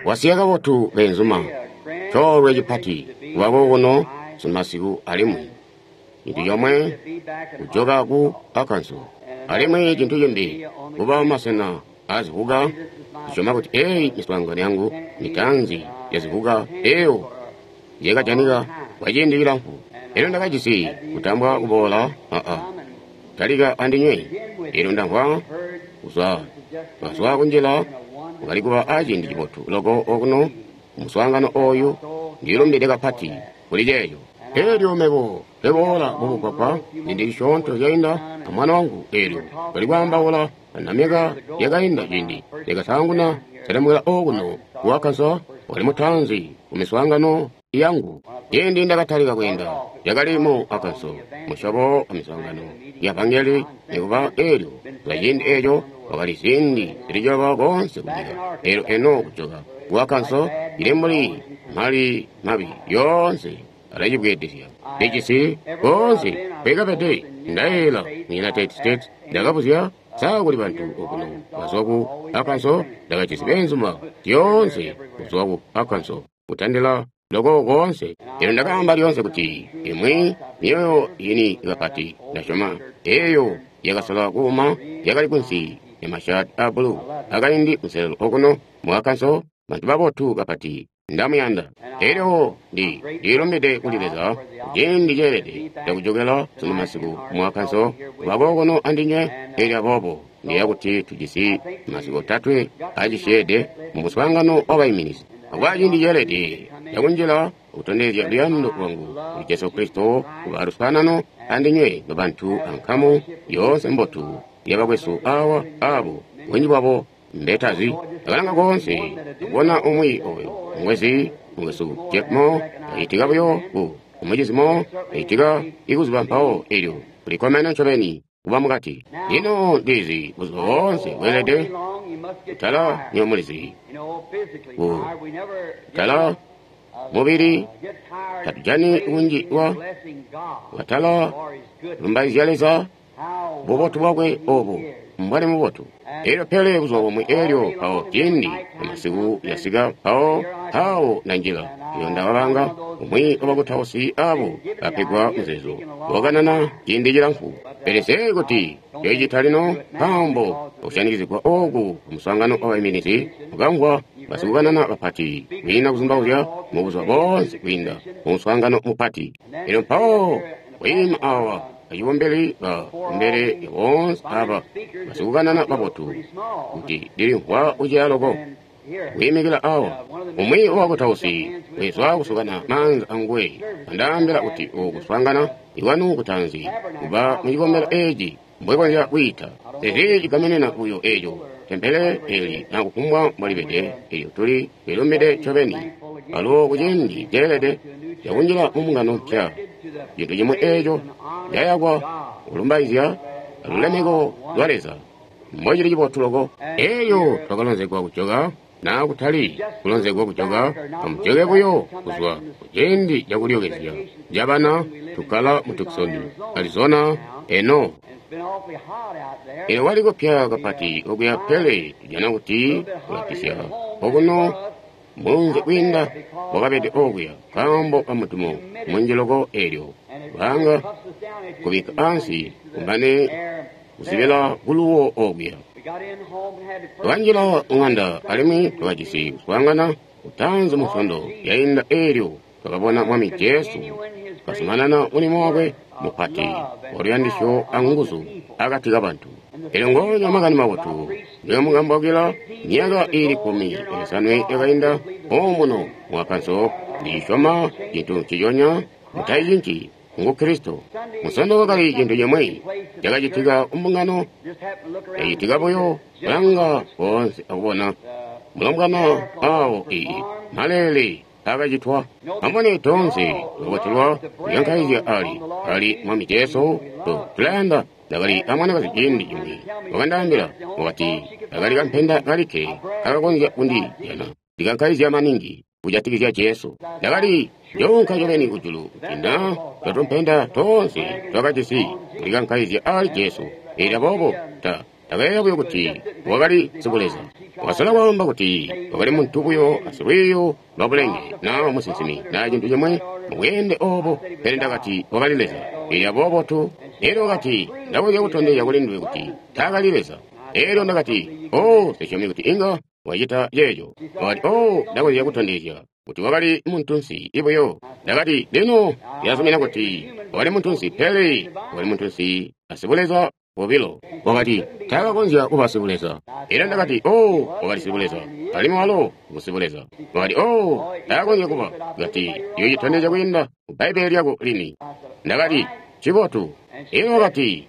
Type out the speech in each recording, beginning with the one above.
Wasiya kabotu beenzuma, coolwe cipati kuba kokuno sunumasiku alimwi cintu comwe kujoka ku Arkansas, alimwi cintu cimbi kuba masena aazivuka. Ndisyoma kuti eeyi miswaangano yangu mitaanzi yazivuka eyo yakajanika kwa ciindi cilamfu. Elyo ndakajisi kutambwa kuboola talika andinywe. Elyo ndamvwa kuzwa twazwa kunjila kwakali kuba aciindi cibotu loko okuno muswaangano oyu. Ndilumbide kapati kuli ceeco. Elyo mebo nkeboola mumugwagwa ciindi cisyoonto cainda amwana wangu, elyo twali kwaambaula myaka yakainda ciindi ndakasaanguna selemukila okuno ku Arkansas, wali mutaanzi ku miswaangano yangu. Ciindi ndakatalika kweenda yakali mu Arkansas, musyobo wa miswaangano ya vangeli, nikuba elyo lwa ciindi eco wakali ziindi zili ciloba koonse kunyika. Elyo eno kujoka ku Arkansas ili mbuli mali mabi yoonse alacibweedezya. Lijisi koonse kwekapede. Ndayeeyela mu United States ndakabuzya saa kuli bantu okuno bazwa ku Arkansas. Ndakajisi beenzuma zyoonse kuzwa ku Arkansas kutandila loko koonse. Elyo ndakaamba lyoonse kuti imwi myoyo yini kapati ndasyoma eyo yakasola kuuma yakali kunsi ya mashaati a bulu akaindi kunselelo okuno mu Arkansas. Bantu babotu kapati, ndamuyanda. Elyo ndilumbide kuli Leza ciindi ceelede cakujokela sunumasiku mu Arkansas kuba kokuno andinywe. Elyo aboobo ndiyeeya kuti tujisi masiku otatwe acisyeede mu muswaangano wabaiminizi, akuba ciindi ceelede cakunjila kutondezya luyando lwangu kuli Jesu Kristo, kuba aluswaanano andinywe nobantu ankamu yoonse mbotu yabakwesu awa abo bunji bwabo mbetazi. Ndakalanga koonse akubona umwi oyo mwezi mukwesu Jack Moore acitika buyo ku umucizi Moore acitika ikuzuba mpawo. Elyo kulikkomene ncobeni kuba mukati. Lino ndizi buzuba boonse bweelede kutala nyomulizi kutala mubili tatujani kunji wa watala lumbaizya Leza bubotu bwakwe obu mbwali mubotu. Elyo pele buzuba bumwi elyo mpawo ciindi amasiku yasika mpawo mpawo nanjila iyo ndawabanga umwi wabakutausi abo bapegwa muzeezo wakanana ciindi cilamfu, pele see kuti cyoicita lino nkaambo akusyanikizigwa oku kumuswaangano wabaiminizi mukamvwa basikukanana bapati kwiina kuzumbauzya mubuzuba boonse kwiinda mumuswaangano mupati. Elyo mpawo kwiima awa acibumbili ba kumbele ya boonse aba basikukanana babotu kuti ndilimvwa kuceya loko kwiimikila awa. Umwi wabakutausi wezwa kusukana maanza anguwe andaambila kuti oku kuswaangana ikwanu kutaanzi kuba mucikombelo eci mbwekonzya kwiita ezi cigamenena buyo eco tempele eli na kufumbwa mbwalibede. Elyo tuli lilumbide ncobeni alubo kuciindi ceelede cakunjila mumbungano mpya, cintu cimwi eco cayakwa kulumbaizya alulemeko lwa Leza. Mbocili cibotu loko. Eyo twakalonzegwa kujoka na kutali kulonzegwa kujoka, amujoke buyo kuzwa kuciindi cakulyokezya cabana. Tukkala mu Tucson, Arizona eno. Elyo kwali kupya kapati okuya, pele tujana kuti kulapisya okuno munzi kwiinda wakabede okuya nkaambo kamudumo munji loko. Elyo banga kubikka ansi kumbane kuzibila kuluwo okuya. Twakanjila ŋanda alimwi twakajisi kuswaangana kutaanzi Munsondo yainda. Elyo twakabona Mwami Jesu kazumanana mulimo wakwe mupati waluyandisyo anguzu akati kabantu. Elyo ngoonya makani mabotu ndiyomukambawukila myaka iili 15 yakainda omuno mu Arkansas, ndisyoma cintu nciconya, mutaicinci, ngu Kristo. Munsondo kwakali cintu cimwi cakacitika kumbungano, cacitika buyo kulanga koonse akubona mulombwana awo ii maleele akacitwa. Amubone, toonse twabotelwa kuyankaizya ali Mwami Jesu. Tulayanda. Ndakali amwanakazi ciindi cimwi wakandaambila, wakati akali kampenda kalikke akakonzya kundijana ndikankaizya maningi kujatikizya Jesu. Ndakali njoonka ncobeni kujulu kuti na twatumpenda toonse twakajisi kulikankaizya ali Jesu. Elyo aboobo Ndakayeeya buyo kuti wakali sibuleza. Wakasola kwaamba kuti wakali muntu buyo asilwiiyo lwa bulenge, na musinsimi, na cintu cimwe mubweende obo, pele ndakati wakali Leza. Elyo aboobo tu. Elyo wakati, Ndakonzya kutondezya kuli nduwe kuti taakali Leza. Elyo ndakati, Oh, nsisyomi kuti inga wacita ceeco. Wakati, Oh, ndakonzya kutondezya kuti wakali muntunsi buyo. Ndakati, Lino ndilazumina kuti wakali muntunsi, pele wakali muntunsi asibuleza bobilo. Wakati, taakakonzya kuba sibuleza. Elyo ndakati, Oh, wakali sibuleza, alimwi walo ngu sibuleza. Wakati, Oh, taakonzya kuba. Kati, Ndiyo citondezya kwiinda mu Bbaibbele lyako lini. Ndakati, Ncibotu. Elyo wakati,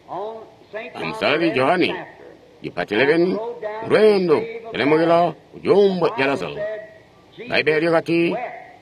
Amusalali Johane, cipati 11, lweendo kulemukila ku cuumbwe ca Lazaro. Bbaibbele lyakati,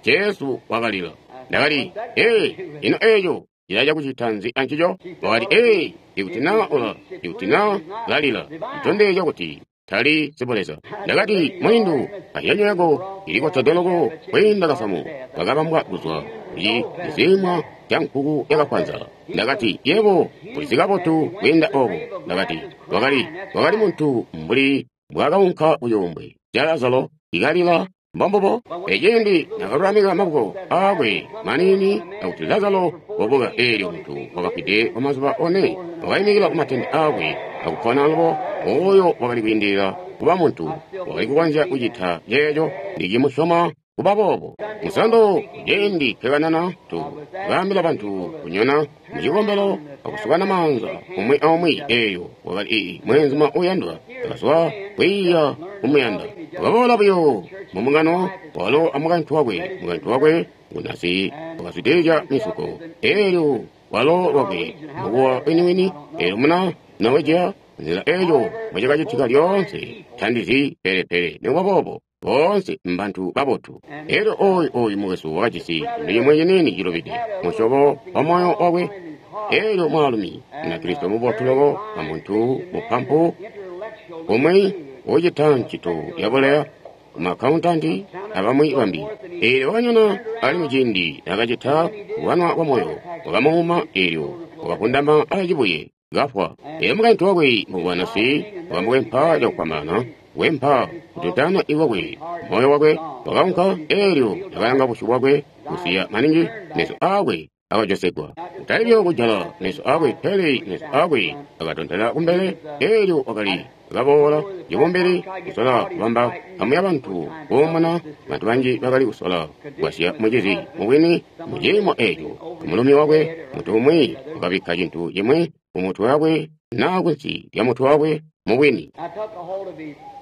Jesu wakalila. Ndakati, Ee, ino eco cilaca kucita nzi ancico? Wakati, Ee, ikuti na ula, ikuti na lalila, citondezya kuti tali sibuleza. Ndakati, Mulindu, ayanyo yako ilikotede loko kwiinda kasamu kakabambwa kuzwa kuci cisimwa ca nkuku yakakwanza. Ndakati, Yebo ulizi kabotu kwiinda obo. Ndakati, wakali muntu mbuli mbwakaunka kucuumbwe ca Lazaro ikalila. Mbombubo. Eciindi nakalulamika maboko aakwe maniini akuti Lazaro wabuka, eelyo muntu wakafwide kwa mazuba one wakaimikila kumatende aakwe akupona alubo. Oyo wakali kwiindilila kuba muntu, wakali kukonzya kucita ceeco ndicimusyoma kuba boobo. Musondo ciindi twekanana tu kaambila bantu kunyona mucikombelo akusukana maanza umwi aumwi. Eeyo wakali mweenzuma uyandwa, akazwa kwiiya kumuyanda. Wakaboola buyo mumungano walo amukaintu wakwe. Mukaintu wakwe ngunasi wakazwidilizya misuko. Eelyo walo lwakwe mukuwa winiwini. Eelyo muna Norwegia nzila eeyo mbocakacitika lyoonse tandizi pelepele. Nikuba boobo boonse mbantu babotu. Elyo oyu mukwesu wakajisi cintu cimwe ciniini cilubide musyobo wa moyo wakwe. Elyo mwaalumi Munakristo mubotu loko amuntu mupampu umwi ucita ncito yabuleya kumaakauntanti abamwi bambi. Elyo wakanyona alimwi ciindi nakacita kuwanwa kwa moyo wakamuuma, elyo wakavundama acibuye kafwa. Elyo mukaintu wakwe mukwanasi wakamukwempa cakukwamana wempa kututana iwakwe moyo wakwe wakaunka. Elyo nakalanga busyu bwakwe kusiya maningi, meso aakwe akajosegwa. Kutali buyo kujala meso aakwe, pele meso aakwe akatontela kumbele. Elyo wakali akaboola cibumbili kusola kubamba amwi abantu kuumuna. Bantu banji bakali kusola kugwasya mucizi mubwini muciimo eco. Mulumi wakwe muntu umwi wakabikka cintu cimwi kumutwe wakwe naa kunsi lya mutwe wakwe mubwini.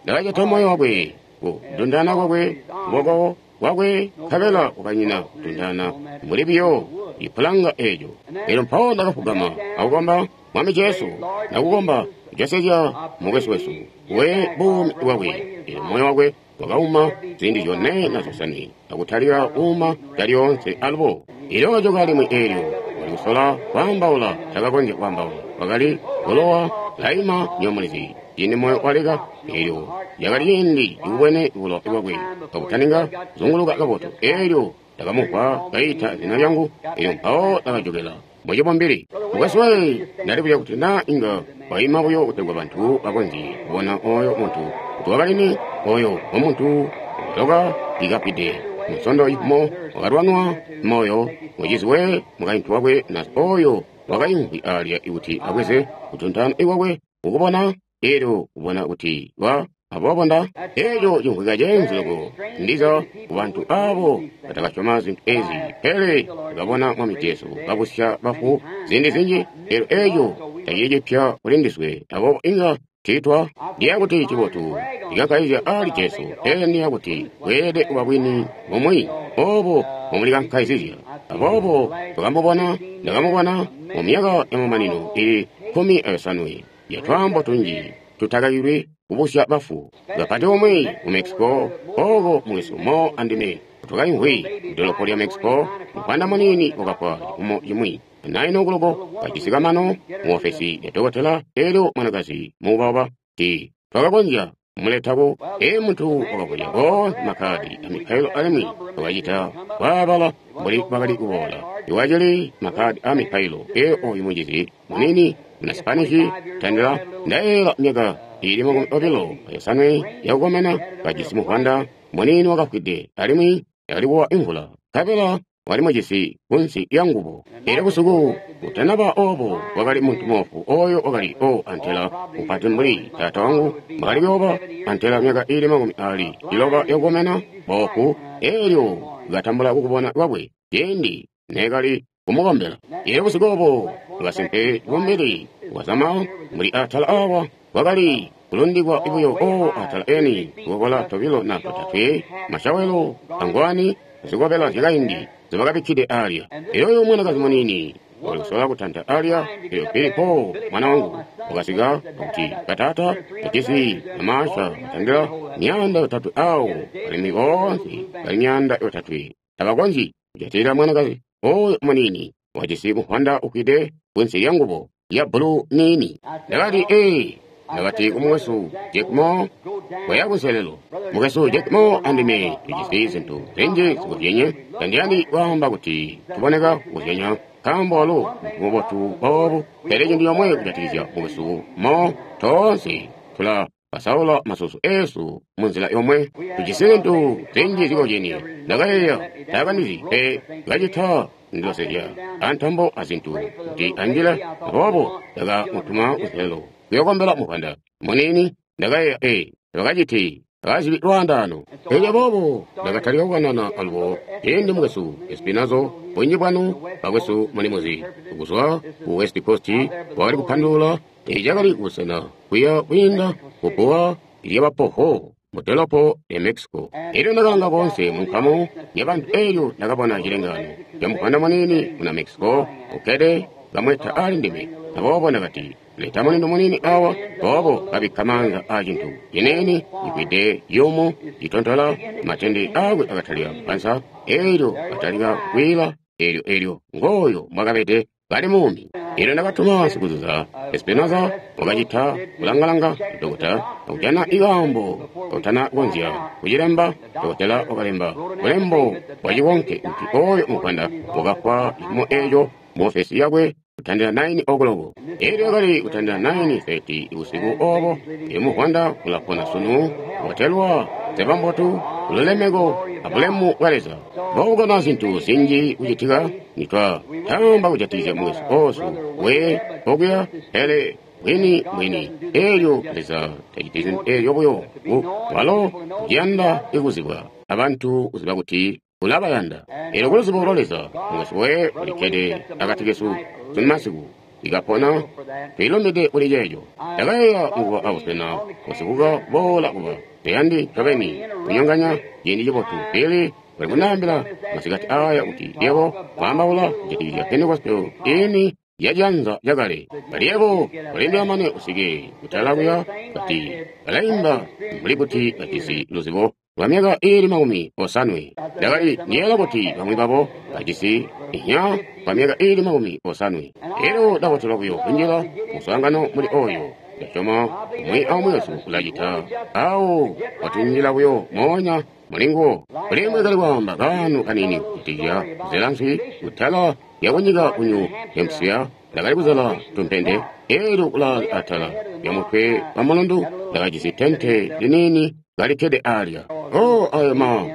Ndakacita moyo wakwe kudundana kwakwe kuboko kwakwe, nkabela kwakanyina kudundana mbuli biyo ipulanga eejo. Elyo mpawo ndakafugama akukomba, Mwami Jesu, ndakukomba kujosezya mukwesu wesu we buumi bwakwe. Elyo moyo wakwe wakauma ziindi zyone na zyosanwe akutalika kuuma calyoonse alubo. Elyo wakajoka limwi, eelyo wakali kusola kwaambaula, takakonzya kwaambaula, wakali kulowa laima nyomulizi. Ciindi moyo waleka, eelyo lyakali ciindi cikubwene bulo bwakwe akutaninga kuzunguluka kabotu. Eelyo ndakamumvwa kaita zina lyangu, eelyo mpawo ndakajokela mucibumbili. Mukwesu we, ndalibuzya kuti naa inga waima buyo kutegwa bantu bakonzye kubona oyo muntu kuti wakalini. Oyo omuntu wakaloka ikafwide musondo ifumo wakalwanwa moyo mucizi we mukaintu wakwe na oyo wakaimvwi alya kuti abweze kutuntana iwakwe kukubona. Elyo kubona kuti wa aboobo nda eco cimvwika ceenzu loko ndiza kubantu abo batakasyoma zintu ezi, pele bakabona Mwami Jesu kabusya bafu ziindi zinji. Elyo eco tacili cipya kuli ndiswe, aboobo inga tiitwa ndiya kuti cibotu likankaizya ali Jesu, pele ndiya kuti bweelede kuba bwini bumwi obo mumulikankaizizya. Aboobo twakamubona, ndakamubona mu myaka yamamanino ili 15 ya twaambo tunji tutakakilwi kubusya bafu. Kapati umwi mu Mexico, oko mukwesu mo andime twakaimvwi mudolopo lya Mexico, mupanda muniini wakafwa cifumo cimwi 9 o'clock kajisi kamano mu ofesi ya dokotela. Elyo mwanakazi muubauba ti twakakonzya kumuletako. Ee, muntu wakavulya koonse makkadi amipailo alimwi wakacita kwaabala mbuli bakali kuboola. Iwacili makkadi amipailo. Ee, oyu mucizi muniini muna Spanish tandila ndayeeyela myaka ili 25 yakukomena, kajisi muvwanda muniini wakafwide, alimwi yakali kuwa imvula, nkabela wali mujisi kunsi lya ngubo. Elyo busiku butanaba obo wakali muntu moofu oyo wakali o antela mupati mbuli taata wangu mbwakali kuyooba, antela myaka ili 60 yakukomena, boofu. Elyo katambula kukubona kwakwe ciindi neekali kumukombela. Elyo busiku obo kasimpe bumbili bwazama mbuli atala awa kwakali kulundikwa buyo o atala eni tukokola tobilo na totatwe, mashawelo angwani zikobela zyakaindi zibakabikkide alya. Elyo oyo mwanakazi muniini wakali kusola kutanta alya. Elyo Billy Paul mwana wangu wakasika kuti kataata kajisi amaasha katandila 300 awo, alimwi boonse bali 300 tabakonzyi kujatilila mwanakazi oyo muniini wajisi muvwanda ukwide kunsi lya ngubo ya bbulu niini. Ndakati, ee, ndakati ku mukwesu Jack Moore, koya kunselelo. Mukwesu Jack Moore andime tujisi zintu zinji zikuzyenye. Tandiyandi kwaamba kuti tuboneka kukuzyenya, nkaambo walo muntu mubotu boobu. Pele cintu comwe kujatikizya mukwesu Moore, toonse tula pasaula masusu esu munzila yomwe. Tujisi zintu zinji zikozyenie. Ndakayeeya, taakandizi pe kacita ndilosezya antambo azintu kuti anjile, aboobo ndakamutuma kunselelo kuyokombela muvwanda muniini. Ndakayeeya, ee, tabakaciti bakazibi lwaandaano. Elyo aboobo ndakatalika kukanana alubo ciindi mukwesu Espinazo, bunji bwanu bakwesu mulimuzi, kuzwa ku West Coast, wakali kupandulula eci cakali kubusena kuya kwiinda kubbuwa lyabapoho mu dolopo lya Mexico. Elyo ndakalanga koonse mu nkamu yabantu, elyo ndakabona cilengaano ca muvwanda muniini muna Mexico ukkede kamweta ali ndime. Aboobo ndakati, leta mulindu muniini awa. Aboobo kabikka maanza aa cintu ciniini cikwide yumu citontola, matende akwe akatalika kupansa, elyo katalika kwiila. Elyo elyo ngooyo mwakabede kali muumi. Elyo ndakatuma sikuzuza Espinoza, wakacita kulangalanga dokota akujana ikaambo kautana konzya kucilemba. Dokotela wakalemba bulembo bwa cikonke kuti oyo muvwanda wakafwa cifumo eco mu ofesi yakwe kutandila 9 o'clock. Elyo yakali kutandila 9:30 usiku obo. Elyo muvwanda ulapona sunu, watelwa zebambotu ululemeko abulemu bwa Leza. Mbokubona zintu zinji kucitika nitwa tamba kujatikizya mukwesu osu we okuya, pele bwini bwini elyo Leza taciti zintu elyo buyo. Walo uciyanda ikuzibwa abantu kuziba kuti ulabayanda. Elyo kuluzibo lwa Leza mukwesu we ulikkede akati kesu sunu masiku ikapona, twiilumbide kuli ceeco. Ndakayeeya mukuba abusena busikuka boola kuba tayandi ncobeni kunyonganya ciindi cibotu, pele bali kundaambila masikati aya kuti yebo kwaambaula kujatikizya Pentekoste ini yacianza cakale. Bali yebo ulindila mane usike kutala kuya, kati balaimba mbuli kuti bajisi luzibo lwa myaka ili 50. Ndakali ndiyeeya kuti bamwi babo bajisi inya kwa myaka ili 50. Elyo ndabotelwa buyo kunjila muswaangano muli oyo. Ndasyoma umwi aumwi wesu ulacita awo watunjila buyo moonya mulinguwo. Kulimwi kali kwaamba kaano kaniini kujatikizya kuzela nswi kutala lyakunyika ku New Hampshire. Ndakali kuzela tumpende, elyo kulaale atala lya mutwe wa mulundu ndakajisi tente liniini kalikkede alya. Oh, ayo ma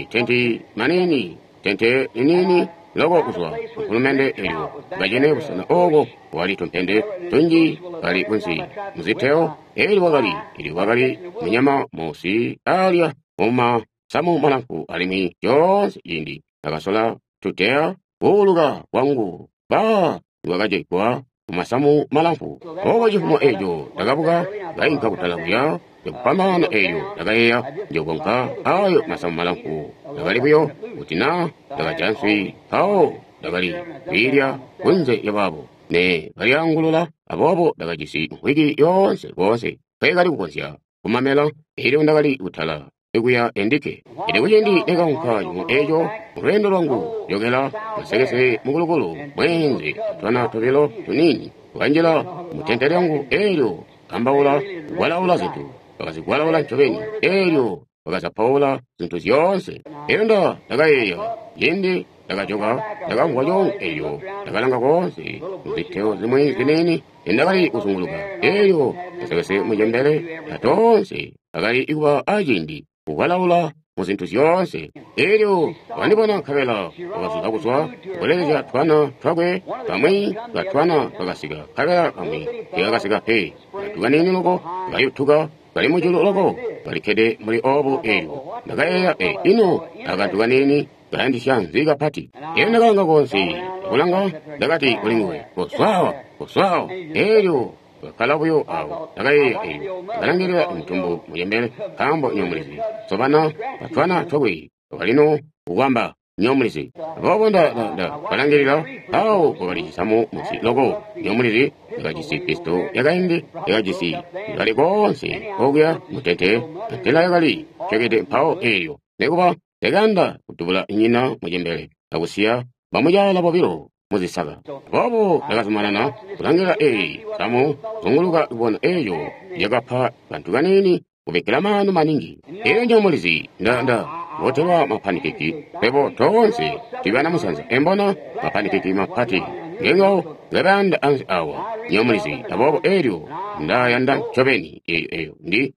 tenti maniini, tente liniini loko kuzwa mfulumende. Elyo kacene busena oko wali tumpende tunji kali kunsi muziteo. Elyo wakali elyo wakali munyama musi alya mumasamu malamfu, alimwi coonse ciindi ndakasola tuteya kuuluka kwangu ba wakacegwa mumasamu malamfu. Oko cifumo eco ndakabuka kainka kutala kuya ndikupambana. Elyo ndakayeeya njokonka ayo masamu malamfu. Ndakali buyo kuti na ndakaja nswi, mpawo ndakali kwiilya kunze lyabaabo ne kalyaangulula. Aboobo ndakajisi nkwiki yoonse koonse nkekali kukonzya kumamela. Elyo ndakali kutala ikuya endike. Elyo kuciindi nekaunka cifumo eco mulweendo lwangu jokela masekese mukulukulu mweenze twana tobilo tuniini tukanjila mutente lyangu. Elyo kambaula kugwalaula zintu, bakazigwalaula ncobeni. Elyo bakazapaula zintu zyoonse. Elyo ndakayeeya ciindi Ndakajoka, ndakamvwa coongo elyo, ndakalanga koonse muziteo zimwi ziniini endakali kuzunguluka. Elyo masekese mucembele atoonse akali kuba aciindi kukwalaula mu zintu zyoonse. Elyo wakandibona nkabela wakazuza kuzwa kulelezya twana twakwe, kamwi katwana kakasika, nkabela kamwi teekakasika pe. Kantu kaniini loko kayutuka kali mujulu loko kalikkede muli obu. Elyo ndakayeeya, e ino akantu kaniini kayandisya nzi kapati. Elyo ndakalanga koonse akulanga, ndakati kuli nguwe, kozwaawa, kozwaawa. Elyo kakkala buyo awo. Ndakayeeya, elyo ndakalangilila mutumbu mucembele, nkaambo nyomulizi sobana batwana twakwe wakalino kukwamba nyomulizi. Aboobo ndakalangilila awo kwakali cisamu munsi loko nyomulizi yakajisi pisto yakaindi yakajisi kali koonse okuya mutente antela yakali cekede mpawo. Elyo nekuba ndakayanda kudubula nyina mucembele akusiya bamucaala bobilo muzisaka. Aboobo ndakazumanana kulangila eyi samu zunguluka kubona eyo yakapa kantu kaniini kubikkila maanu maningi. Elyo njomulizi nda botelwa mapanikeki pebo toonse tibana musanza embona mapanikeki mapati ngengo ngebayanda ansi awa nyomulizi. Aboobo elyo ndayanda ncobeni eyo eyo ndi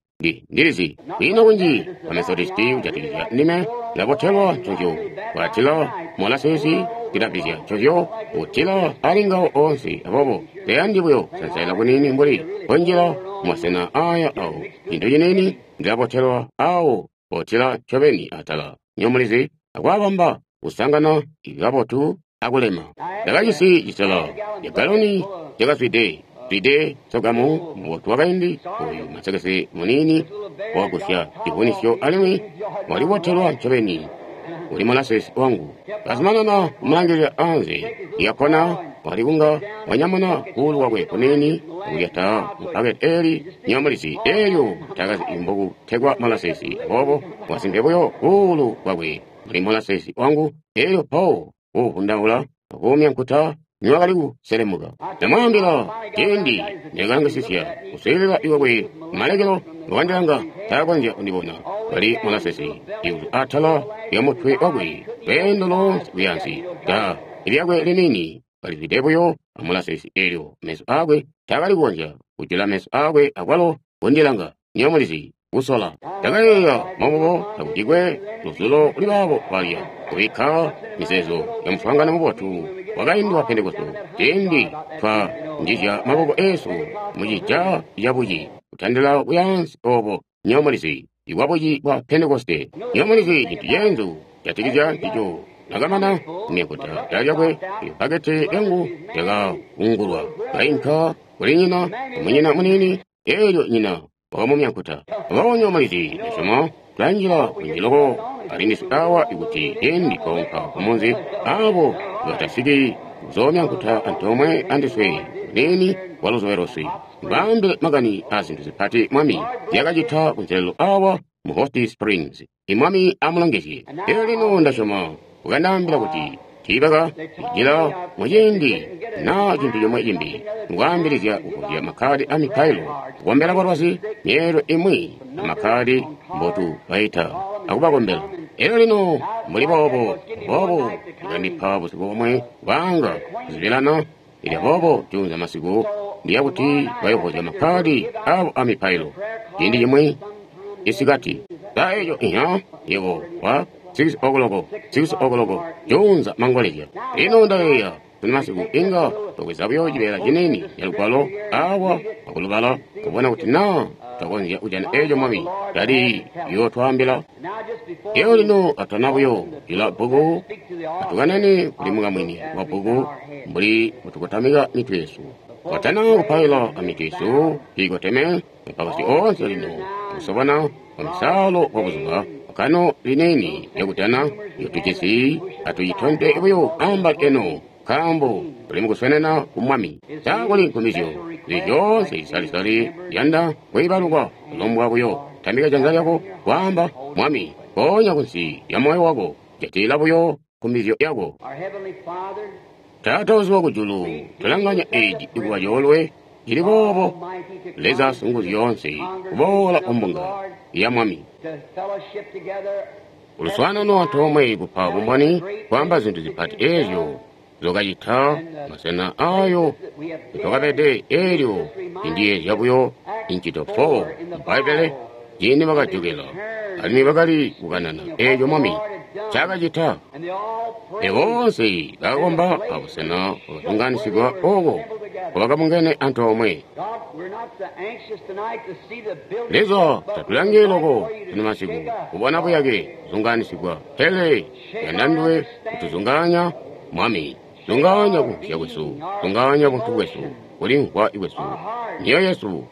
ndilizi kwina kunji bamethodisti kujatikizya ndime. Ndabotelwa ncovyo kwatila molasesi ndilabizya ncovyo kutila ali ngawo oonse. Aboobo teyandi buyo kusansaila kunini mbuli kunjila mumasena aya awo cintu ciniini. Ndilabotelwa awo potila ncobeni atala nyomulizi akwabamba kusangana kabotu akulema. Ndakajisi cisela yagaloni yakazwide zwide sogamu mubotu wakaindi oyu masekese muniini wagusya civunisyo, alimwi walibotelwa ncobeni uli molasesi wangu. Kazumanana kumulangilila anze yakona wali kunga wanyamuna kuulu kwakwe kuniini akulyata mupaketi eli nyomulizi. Elyo takazi mbokutegwa molasesi, aboobo wasimpe buyo kuulu kwakwe muli molasesi wangu. Elyo pawo kuuvundaula akuumya nkuta niwakali kuselemuka. Ndamwaambila, ciindi ndakalangisisya kuswiilila iwakwe malekelo wakandilanga taakonzya kundibona kali molasesi iuzu atala lya mutwe wakwe lweendo loonse kuyansi da lyakwe liniini kalizwide buyo amolasesi. Elyo meso aakwe taakali kukonzya kujula meso aakwe akwalo kundilanga nyomulizi kusola. Ndakayeeya, momubo takucikwe luzulo kuli baabo balya kubikka mizeezo ya muswaangano mubotu wakaindi wa Pentekoste ciindi twa njizya maboko eesu mucija cabuci kutandila kuyansi obo nyomulizi ibwabuci bwa Pentekoste. Nyomulizi cintu ceenzu jatikizya ncico. Nakamana kumyakuta da lyakwe, ipaketi yangu yakakungulwa kainka kuli nyina munyina muniini. Elyo nyina wakamumyankuta. Aboobo nyomulizi ndasyoma tulanjila kunji loko alindiswe awa ikuti ciindi twaunka kumunzi abo batasiki kuzoomyankuta antoomwe andiswe kuniini kwa luzowerosi baambile makani a zintu zipati Mwami zyakacita kunselelo awa mu Hot Springs. Imwami amulongezye. Elyo lino ndasyoma ukandaambila kuti tiibaka njila muciindi naa cintu comwe cimbi mukwaambilizya kuvuzya makkadi a mipailo kukombela balwazi myeelwe imwi amakkadi mbotu baita akubakombela. Elyo lino mbuli boobo boobo ikandipa busiku bomwe bwanga kuzibilana. Ilya boobo juunza masiku ndiya kuti bayovozya makkadi abo a mipailo ciindi cimwi isikati sa eco inya yebo wa 6 o'clock 6 o'clock juunza mangolezya. Lino ndayeeya tuni masiku inga twakweza buyo cibeela ciniini ca lugwalo awa akulubala kubona kuti naa twakonzya kujana eco Mwami tali yootwaambila. Eyo lino atana buyo jula bbuku, atukanane kuli mukamwini wa bbuku mbuli butukotamika mitwe yesu. Twatana kupaila amitwe yesu kiikoteme mapakasi oonse lino akusobana kwa misalo kwa buzuba kano lineni lyakutana yotujisi atuyitonde buyo ambali eno, nkaambo tuli mukuswenena ku Mwami. Sakuli nkumizyo zyoonse zisalisali yanda kwiibalukwa kulombwa buyo tambika janza lyako kwaamba Mwami ponya kunsi ya moyo wako jatila buyo nkumizyo yako. Taata uzuwa kujulu, tulanganya eji ikuba coolwe cili boobo Leza singuzu yoonse kuboola kumbunga ya Mwami. Kuluswaanano antoomwe kupa bumboni kwaamba zintu zipati eezyo zokacita masena ayo twakabede eelyo indiyeezya buyo incito 4 Bbaibbele ciindi bakajokela alimwi bakali kukanana eeco Mwami ncaakacita. Boonse bakakomba abusena bwakazunganisigwa ooko nkobakabungene antoomwe. Leza tatulangi loko sunu masiku kubona buyake buzunganisigwa, pele yanda nduwe kutuzungaanya Mwami. Zungaanya kumvwisya kwesu, zungaanya buntu bwesu, kulimvwa kwesu, myoyo yesu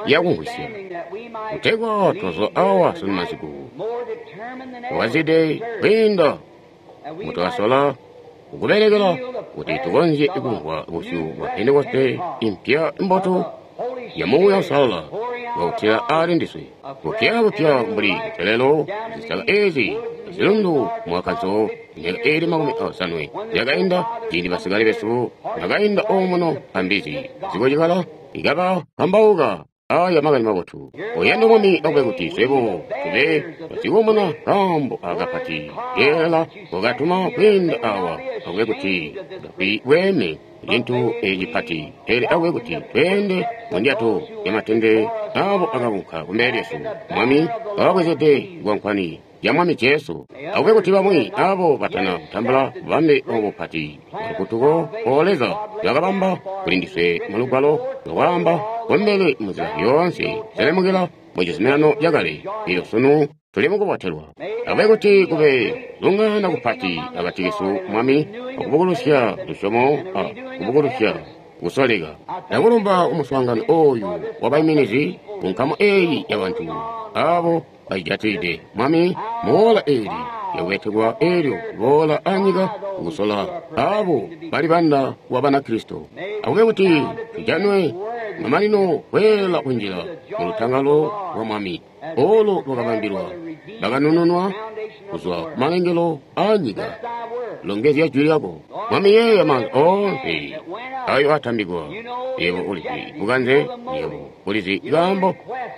yakumvwisya, kutegwa twazwa awa sunu masiku twakazide kwiinda mutwasola kukubelekela kuti tukonzye kumvwa busyu bwa Pentekoste impya mbotu ya Muuya Uusalala bwakutila ali ndiswe bupya bupya mbuli ntelelo zisaka ezi zilundu mwakanso myaka ili 50 yakainda ciindi basikale besu bakainda omuno ambizi zikocikala ikaba kambauka aya makani mabotu. Oyanda Mwami akube kuti swebo tube basikumuna kaambo akapati keela wakatuma kwiinda awa, akube kuti tutapi bweeme cintu ecipati, pele akube kuti tweende mundyato yamatende abo akakunka kumbele lyesu. Mwami kababwezede kwankwani ya Mwami Jesu. Akube kuti bamwi abo batana kutambula bubambe obu bupati bwalufutuko o Leza lwakabamba kuli ndiswe mu lugwalo lwakwaamba kumbele munzila yoonse selemukila mu cizuminano cakale, elyo sunu tuli mukubotelwa. Akube kuti kube zungana kupati akati kesu Mwami, akubukulusya lusyomo a kubukulusya kusoleka. Ndakulumba kumuswaangano oyu wabaiminizi kunkamu eyi yabantu abo bajijatilide Mwami muwola eli lyakubetekwa elyo boola anyika kukusola abo bali banda wa Banakristo. Akube kuti tujanwe mamanino kweela kunjila mu lutangalo lwa Mwami olo lwakabambilwa bakanununwa kuzwa kumalengelo a nyika. Longezya jwi lyako Mwami, yeeya maanza oonse ayo atambikwa. Yebo ulizi bukanze, yebo ulizi kaambo,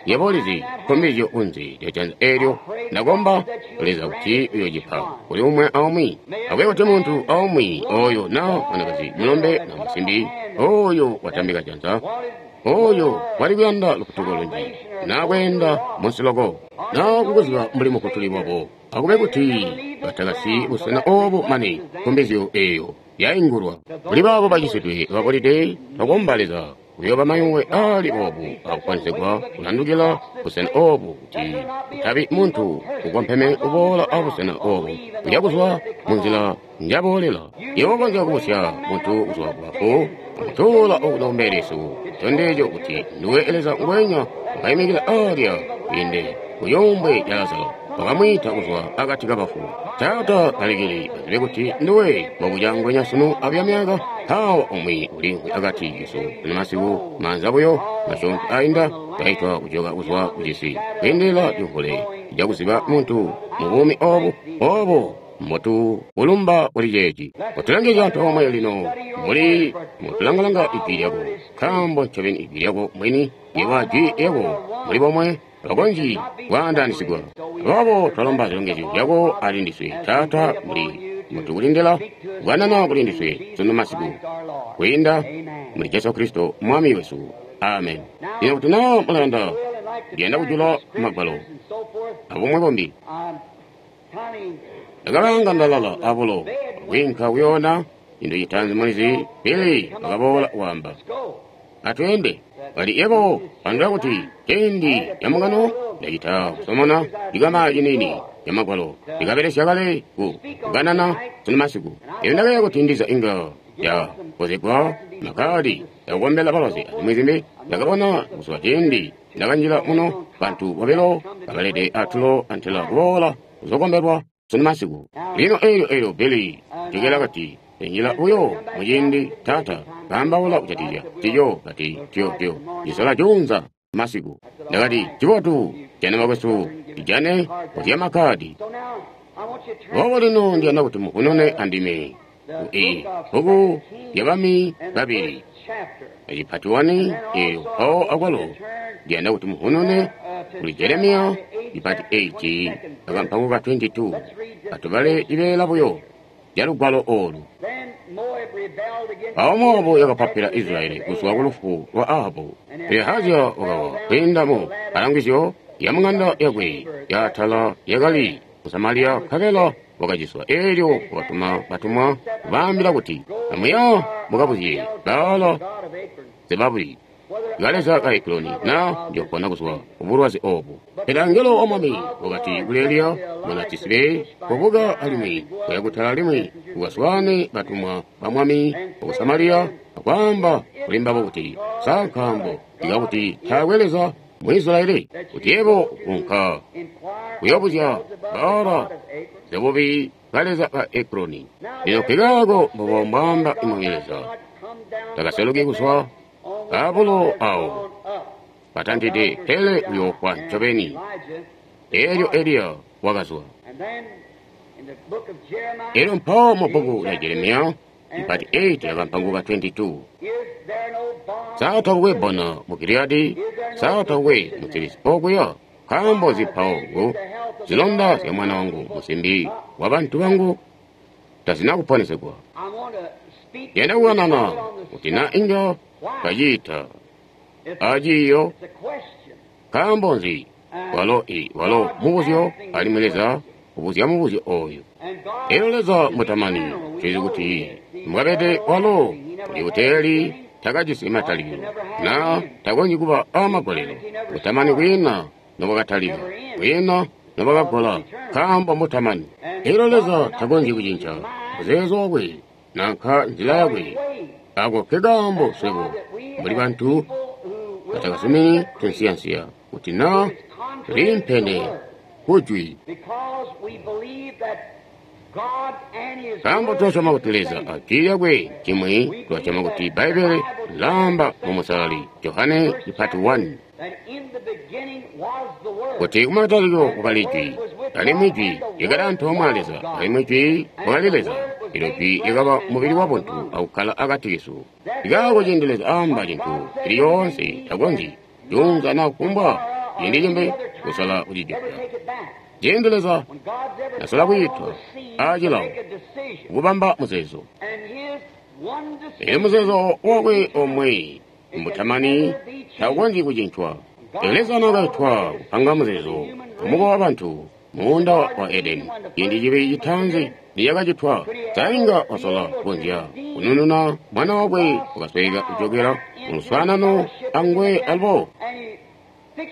yebo ulizi nkombelezyo kunze lya janza eelyo. Ndakomba Leza kuti uyocipa kuli umwe aumwi. Akube kuti muntu aumwi oyo na mwanakazi, mulombe na musimbi oyo watambika janza, oyo wali kuyanda lufutuko lunji na kweenda munsi loko na kukuziba mbuli mufutuli wabo, akube kuti batakasi busena obo mane nkombelezyo eyo yaingulwa. Kuli baabo bacisidwe babolide, twakomba Leza kuyoba mayuwe ali obu akukwanizigwa kulandukila busena obu, kuti kutabi muntu ukompeme uboola abusena obu kuya kuzwa munzila njaboolela. Yebo ukonzya kubusya muntu kuzwa kubafu akutuula okuno kumbele lyesu, tondezyo kuti nduwe Leza ngwenya wakaimikila alya kwiinde kuyumbwe lya Lazaro, wakamwiita kuzwa akati kabafu. Taata, balekele bazibe kuti nduwe mbobuca ngwenya sunu abuya myaka. Mpawa umwi uliimvwi akati kesu sunu masiku, maanza buyo masyoonto ainda kaitwa kujoka kuzwa kucisi kwiindilila cimvule cakuziba muntu mu buumi obu obo mbotu kulumba kuli ceeci. Kotulangizya antoomwe lino mbuli mutulangalanga ijwi lyako, nkaambo ncobeni ijwi lyako mwini yebo ajwi lyako muli bomwe abakonzyi kwaandaanisigwa. Aboobo twalomba zilongezyo zyako ali ndiswe Taata, mbuli mutukulindila kukanana kuli ndiswe sunu masiku kwiinda muli Jesu Kristo Mwami wesu. Amen. Lino kuti naa mulayanda, ndiyanda kujula magwalo abumwi bumbi. Ndakalanga ndalala abulo akwiinka kuyoona cintu citaanzi mulizi, pele bakaboola kwaamba, atweende. Bali yebo pandula kuti ciindi camungano ndacita kusomona cikama ciniini ca magwalo ndikabelesya kale ku kukanana sunu masiku. Elyo ndakayeeya kuti ndiza inga yakozegwa makadi yakukombela balwazi azimwi zimbi. Ndakabona kuzwa ciindi ndakanjila muno bantu bobilo kabalede atulo antela kuboola kuzokombelwa sunu masiku. Lino eelyo Billy jokela kati enjila buyo muciindi taata kaambaula kujatikizya cico kati tyo cisola juunza masiku. Ndakati cibotu jana bakwesu tijane kuzya makadi. Boobo lino ndiyanda kuti mufunune andime ku bbuku lya Bami Babili ecipati 1 eyo mpawo akwalo ndiyanda kuti mufunune kuli Jeremiya cipati 8 akampango ka 22. Atubale cibeela buyo ca lugwalo oolu. Mpawo Mowabu yakapapila Israyeli kuzwa kulufu lwa Ahabu. Pele Ahaziya wakawa kwiinda mu mpalangizyo yamung'anda yakwe yaatala yakali ku Samaliya, nkabela wakaciswa. Eelyo wakatuma batumwa kubaambila kuti, Amuya mukabuzye Baala Zebabi, kaleza ka Ekironi, na njoopona kuzwa kubulwazi oobu. Pele angelo wa Mwami wakati kuli Eliya mwana Tisibe, Kobuka alimwi koya kutala alimwi ukaswaane batumwa ba Mwami waku Samaliya akwaamba kuli mbabo kuti, Sa nkaambo ikakuti taakwe Leza mu Israyeli, kuti yebo unka kuyoobuzya Baala Zebubi kaleza ka Ekironi. Lino nkikaako mbubo mbwaamba Mwami Leza, takaseluki kuzwa abulo awo patantide, pele uyoofwa ncobeni. Eelyo Eliya wakazwa. Elyo mpawo mu bbuku lya Jeremiya ipati 8 akampango ka 22. Sa takukwe bbona mu Giliyadi? Sa takukwe musilisi okuya? Nkaambo nzi mpawo ku zilonda zya mwana wangu musimbi wabantu bangu tazina kuponesegwa? Yenda kukanana kuti na inga kaciita aciiyo. Nkaambo nzi? Walo walo mubuzyo, alimwi Leza ubuzya mubuzyo ooyu. Elyo Leza mutamani, tulizi kuti mbwabede walo uli buteeli, takajisi matalikilo, na takonzyi kuba aamagolelo. Butamani kwiina nobwakatalika, kwiina nobwakagola, nkaambo mutamani. Elyo Leza takonzyi kucinca muzeezo wakwe nanka nzila yakwe. Ako nkekaambo swebo mbuli bantu batakazumini tunsiyansiya kuti na tuliimpene kujwi. Nkaambo tulasyoma kuti Leza ajwi lyakwe ncimwi, tulasyoma kuti Bbaibbele lilaamba mu Musalali Johane cipati 1 kuti kumatalikilo kwakali Jwi, alimwi Jwi lyakali antoomwe a Leza, alimwi Jwi wakali Leza. Elyo Jwi lyakaba mubili wabuntu akukkala akati kesu. Nkaako ciindi Leza aamba cintu cili coonse, takonzyi juunza naa kufumbwa ciindi cimbi kusala kucijokela. Ciindi Leza nasola kwiitwa aacilawo kubamba muzeezo, elyo muzeezo wakwe omwe mbutamani taukonzyi kucincwa. Leza naakaitwa kupanga muzeezo kumukowa wabantu muunda wa Edeni, ciindi cibi citaanzi nicakacitwa, sainga wasola kukonzya kunununa mwana wakwe wakasweeka kujokela mu luswaanano anguwe alubo.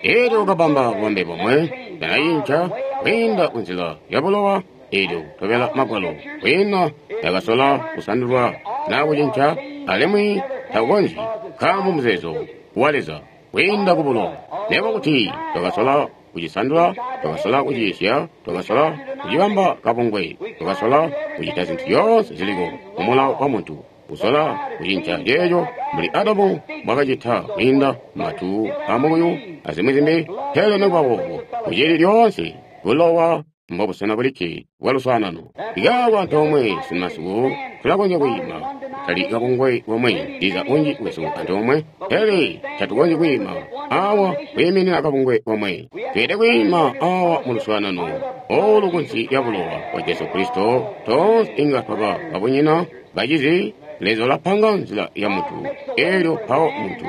Eelyo wakabamba bubambe bomwe, tanacinca kwiinda kunzila ya bulowa, eelyo kutobela Magwalo kwiina yakasola kusandulwa naa kucinca, alimwi takukonzyi, nkaambo muzeezo wa Leza kwiinda ku bulowa. Nekuba kuti twakasola kucisandula, twakasola kuciisya, twakasola kucibamba kabungwe, twakasola kucita zintu zyoonse ziliko mumulawo wa muntu, kusola kucinca ceeco mbuli Adamu mbwakacita kwiinda matu amukuyu azimwi zimbi, pele nekuba boobo kucili lyoonse bulowa mbobusena bulikke bwa luswaanano. Ikaako antoomwe simasiku tulakonzya kwiima kutali kabungwe komwe, ndiza unji wesu antoomwe, pele tatukonzyi kwiima awa kwiiminina kabungwe komwe. Tweelede kwiima awa mu luswaanano oolu kunsi lya bulowa bwa Jesu Kristo. Toonse inga twaba babunyina bacizi. Leza ulapanga nzila ya muntu, eelyo mpawo muntu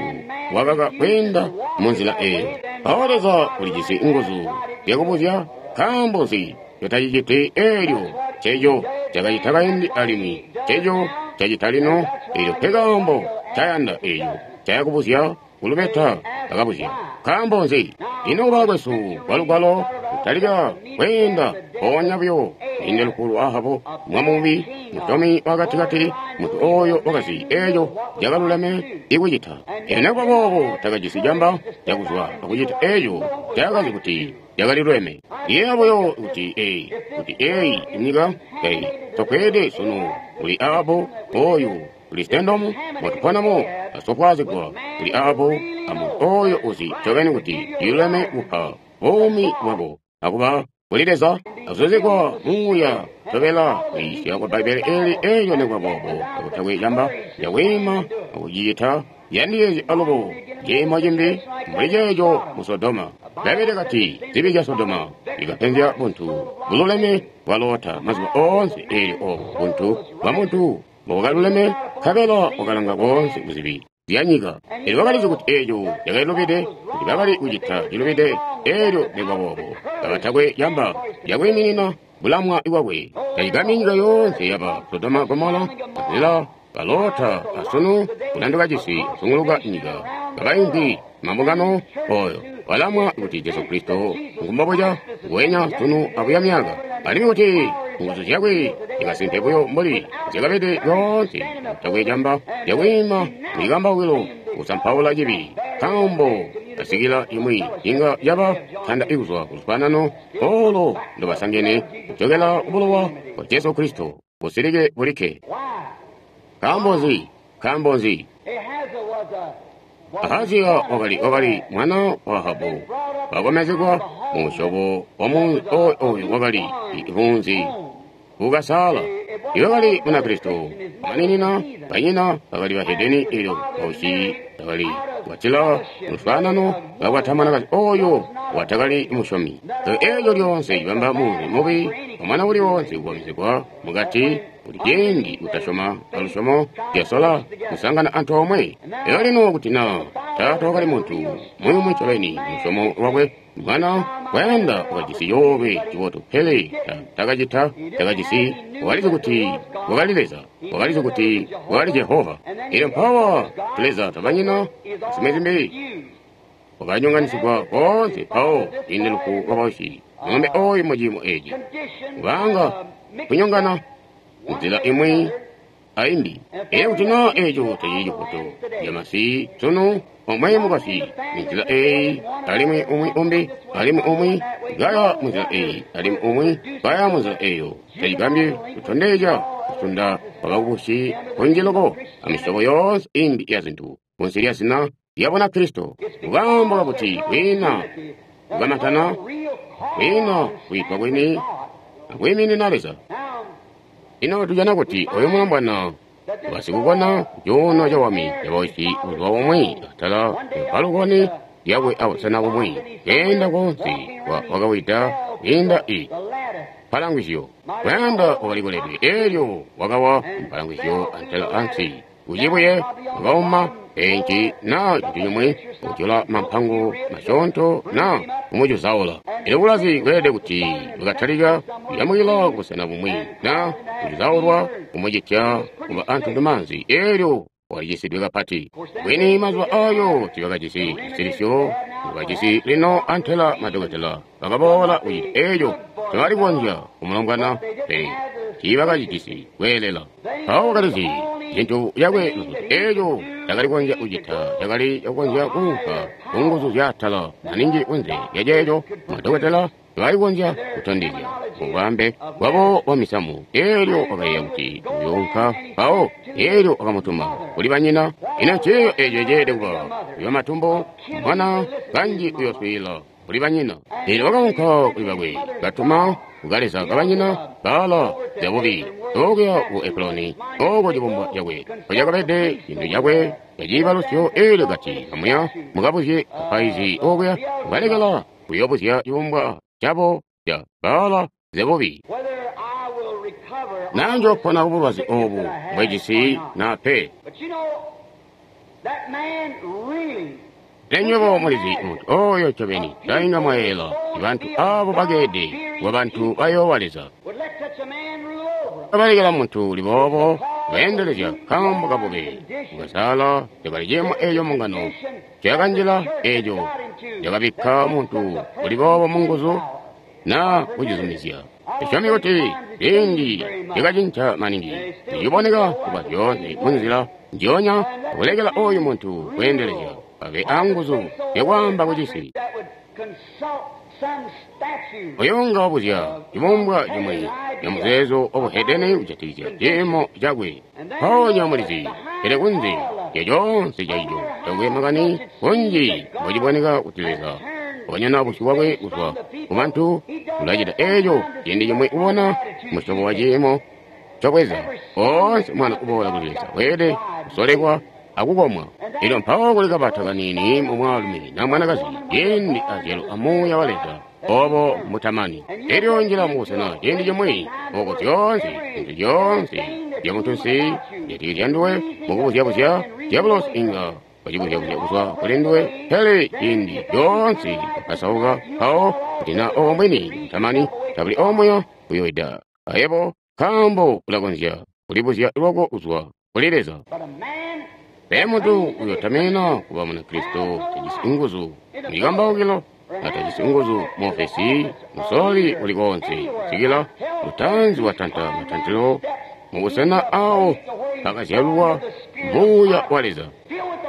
wakaka kweenda mu nzila eeyo. Mpawo Leza ulijisi nguzu zyakubuzya, nkaambo nzi totaciciti eelyo ceeco cakacita kaindi alimwi ceeco cacita lino? Eelyo nkekaambo ncayanda eeco ncayakubuzya kulubeta akabuzya, nkaambo nzi? Ino kuba kwesu kwa lugwalo kutalika kweenda mpoonya buyo kwiinda lufu lwa Ahabu, mwamubi, musyomi wakatikati, muntu ooyo wakazi eeco cakaluleme ikucita. Pele nekuba boobo takajisi camba cakuzwa akucita eeco cakazi kuti cakaliluleme. Ndiyeeya buyo kuti kuti eeyi inyika tai sofweede sunu kuli Ahabu ooyu Kristendomu motuponamo asofwaazigwa kuli Ahabu amuntu ooyo uzi ncobeni kuti ciluleme kupa buumi bwako akuba kuli Leza akuzuzigwa muuya tobela kwiisya kwa Bbaibbele eeli eelyo nekuba boobo kakutakwe camba cakwiima akucicita yandiyeezya alubo ciimo cimbi mbuli ceeco mu Sodoma. Bbaibbele kati zibi zya Sodoma zikapenzya buntu bululeme bwa Lota mazuba oonse. Eelyo obo buntu bwa muntu mbobukaluleme, nkabela wakalanga koonse kuzibi zya nyika. Elyo wakalizi kuti eeco cakali lubide, kuti bakali kucita cilubide. Elyo nekubaboobo kabatakwe camba cakwiiminina bulamwa bwakwe. Tacigambyi nyika yoonse yaba Sodoma, Gomora, azila balota asunu kulanduka cisi kuzunguluka nyika kabaimvwi mambungano oyo balamwa kuti Jesu Kristo ngumbobuca nguwenya sunu abuya myaka, alimwi kuti nguzu zyakwe zikasimpe buyo mbuli zyakabede lyoonse. Takwe camba cakwiima mwikambawukilo kusampaula cibi, nkaambo asikila imwi inga yaba tanda ikuzwa kuluswaanano olo ndobasangene kujokela kubulowa bwa Jesu Kristo busilike bulikke. Nkaambo nzi? Nkaambo nzi? Ahaziya wakali mwana wa Ahabu, wakomezegwa mu musyobo wa munzi oyu wakali munzi ukasaala. Iwakali Munakristo amaninina, banyina bakali bahedeni, elyo bausyi bakali kwatila luswaanano bakwata mwanakazi oyo watakali musyomi. Elyo lyoonse cibamba munzi mubi omwana uli wonse kukomezegwa mukati kuti ciindi kutasyoma alusyomo lyasola kusangana antoomwe. Elyo lino kuti na taata wakali muntu muyumu ncobeni lusyomo lwakwe, mwana wayanda wakajisi coolwe cibotu, pele takacita, takajisi. Wakalizi kuti wakali Leza, wakalizi kuti wakali Jehova. Elyo mpawa tuleza twabanyina zimwi zimbi wakanyonganisigwa koonse. Mpawo ciindi lufu lwabausyi mulombe oyu muciimo eci kubanga kunyongana nzila imwi aimbi. Elyo kuti na eco tacili cifoto camasi sunu, omwe mukwasyi munzila eyi, alimwi umwi umbi, alimwi umwi kaya munzila eyi, alimwi umwi kaya munzila eyo, tacigambyi kutondezya kusunda kwabakubusi kunji loko amisyobo yoonse imbi ya zintu kunsi lya zina lya Bunakristo. Kukaambo kakuti kwiina kukamantana, kwiina kwiitwa kwini akwiiminina Leza. Ino tujana kuti oyu mulombwana wasikukona cuuno cawami cabausyi buzuba bumwi atala palukoni lyakwe abusena bumwi keenda koonse wakawida kwiinda i mpalangwizyo. Kuyanda wakali koledwe, elyo wakawa mpalangwizyo antela ansi kucibuye, wakauma enci na cintu cimwi kujola mampango masyoonto na kumucuzaula. Elyo bulazi bweelede kuti bwakatalika kuyamukila kubusena bumwi na kucuzaulwa kumucitya kuba antundumaanzi. Elyo walicisidwe kapati bwini. Mazuba ayo tibakajisi zisilisyo bakajisi lino, antela madokotela bakaboola kucita eco tebali kukonzya kumulombwana, pele tiibakacijisi kweelela. Mpawo wakalizi cintu cakwe luzutu eco cakali kukonzya kucita cakali cakukonzya kuunka kunguzu zyaatala maningi kunze lya ceeco madokotela tebali kukonzya kutondezya mubwambe bwabo bwa misamu. Elyo wakayeeya kuti uyounka mpawo, elyo wakamutuma kuli banyina. Ino ciiyo eco ceelede kuba uyo matumbo mwana kanji uyoswiila kuli banyina. Elyo wakaunka kuli bakwe, katuma kukaleza kabanyina Baala zyabubi okuya ku Ekuloni, oko cibumbwa cakwe mpocakabede, cintu cakwe caciibalusyo. Elyo kati, amuya mukabuzye bapaizi okuya, kubalekela kuyobuzya cibumbwa cabo ca Baala zebubi, naa njoopona kubulwazi obu mbwejisi naa pe. Pele nywebo mulizi muntu oyo ncobeni tainga mwayeela bantu abo bakeede kuba bantu bayoowa Leza. Kabalekela muntu uli boobo beendelezya nkaambo kabube bukasala cakali ciimo eco mbungano ncoyakanjila, eco cakabikka muntu uli boobo munguzu na kucizumizya. Tusyomi kuti ciindi cakacinca maningi, ciciboneka kuba zyoonse munzila njionya, kulekela oyu muntu kweendelezya abe anguzu zyakwaamba kucisi. Oyo nga wabuzya cibumbwa cimwi ca muzeezo wabuhedeni kujatikizya ciimo cakwe. Mpoonya mulizi, pele kunze lya coonse caico takwe makani kunji mbociboneka kuti Leza wanyona busyu bwakwe kuzwa kubantu, ulacita eco ciindi cimwi kubona musyobo wa ciimo cobweza. Oonse mwana uboola kuli Leza weelede kusolekwa akukomwa. Elyo mpawo kuli kabata kaniini mu mwaalumi na mwanakazi ciindi azyalo a Muuya wa Leza, obo mutamani. Elyo njila mubusena ciindi cimwi oko zyoonse zintu zyoonse zya muntunsi zyatikizya nduwe mukubuzyabuzya, dyabulosi inga wacibuzya-buzya kuzwa kuli nduwe, pele ciindi coonse kasauka mpawo kuti na obo mbwini butamani tabuli omuya uyoida ayebo, nkaambo ulakonzya kulibuzya lwako kuzwa kuli Leza. Pele muntu uyotamina kuba Munakristo tajisi nguzu mucikambaukilo, na tajisi nguzu mu ofesi, musololi uli koonse, kusikila lutanzi watanta matantilo mubusena awo pakazyalwa Muuya wa Leza.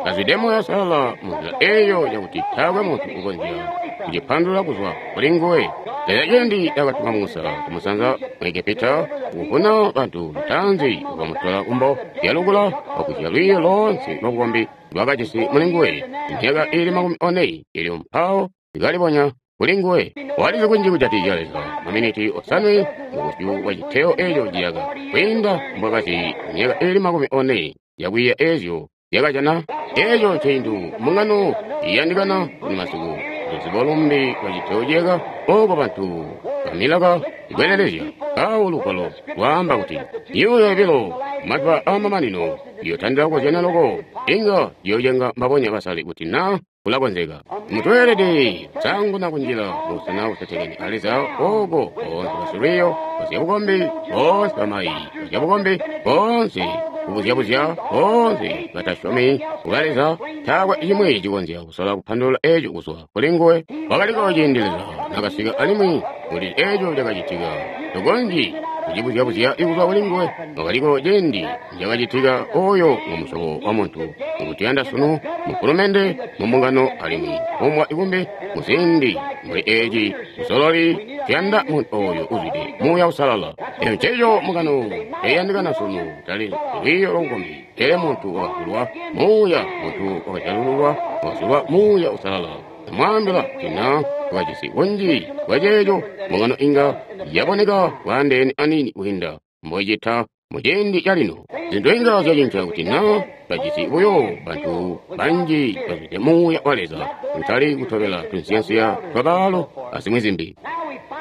Kazwide Muuya Uusalala munzila eyo yakuti taakwe muntu ukonzya kucipandulula kuzwa kuli nguwe. Leza ciindi akatuma Musa kumusanza mu Egepita kuvuna bantu, lutanzi wakamutola kumbo lyalukula wakuzya lwiiyo loonse lwabukombi lwakajisi muli nguwe myaka iili 40, elyo mpawo likalibonya kuli nguwe. Walizi kunji kujatikizya Leza maminiti 7 mubusyu bwa citeo eco ciyaka kwiinda mbwakazi myaka iili 40 yakwiiya ezyo zyakajana. Eco ncintu mbungano iyandikana kuli masiku, luzibo lumbi lwa citeo ciyaka oko bantu bamilaka ikwelelezya. Awo lugwalo lwaamba kuti myuuya yobilo mazuba aamamanino iyotandila kukozyana loko, inga iyocenga mbabonya basale kuti na kulakonzeka. Muntu weelede kusaanguna kunjila mubusena busetekene a Leza, oko boonse basilwiiyo bazyabukombi, boonse bamayi bazyabukombi, boonse kubuzyabuzya, boonse batasyomi kuba Leza, taakwe cimwi cikonzya kusola kupandulula eco kuzwa kuli nguwe. Wakaliko ciindi Leza nakasika alimwi kuti eco cakacitika, tokonzyi kucibuzyabuzya kuzwa kuli nguwe. Wakaliko ciindi cakacitika, oyo ngumusyobo wa muntu ngutuyanda sunu mufulumende, mumbungano, alimwi kumbwa ikumbi muziindi mbuli eci musololi. Tuyanda muntu oyo uzwide Muuya Uusalala. Eco nceco mbungano iyandikana sunu, tali lwiiyo lwabukombi, pele muntu wakazulwa Muuya, muntu wakazyalululwa, wakazulwa Muuya Uusalala. Namwaambila kuti na wakajisi kunji kwa ceeco, mbungano inga yaboneka bwaandeene aniini kwiinda mboicita muciindi calino. Zintu inga zyacinca kuti na bajisi buyo bantu banji bazwide Muuya wa Leza, kutali kutobela tunsiyansiya twabaalo azimwi zimbi.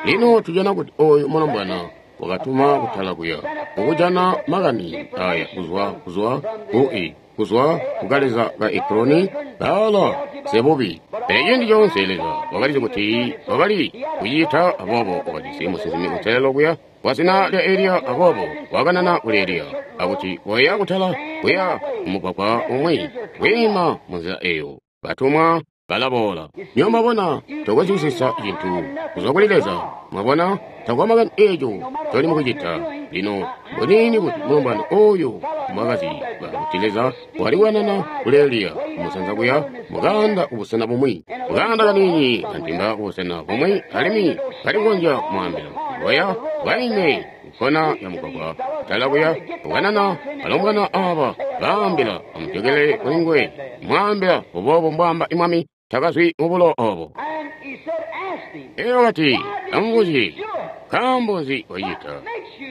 Lino tujana kuti oyu mulombwana wakatuma kutala kuya kukujana makani aya kuzwa kukaleza ka Ekroni Baala Zebubi. Pele ciindi coonse Leza wakalizi kuti wakali kucita, aboobo wakajisi musinsimi kuselelo kuya wa zina lya Eliya, aboobo wakanana kuli Eliya akuti koya kutala kuya mumugwagwa umwi kwiima munzila eyo, batumwa balaboola. Nyo mwabona, tokonzyi kusisa cintu kuzwa kuli Leza. Mwabona, takwa makani eco coli mukucita. Lino mbonini kuti mulombwana oyu mwakazi kuti Leza wali kukanana kuli Eliya kumusanza kuya mukanda kubusena bumwi, mukanda kaniini kantimba kubusena bumwi, alimwi kali kukonzya kumwaambila koya kaime nkona ya mugwagwa kutala kuya kukanana balombwana aba baambila amujokele kuli nguwe, mwaambila buboobo mbwaamba imwami, takazwi mubulo obo. Elyo kati amubuzye, nkaambo nzi wacita?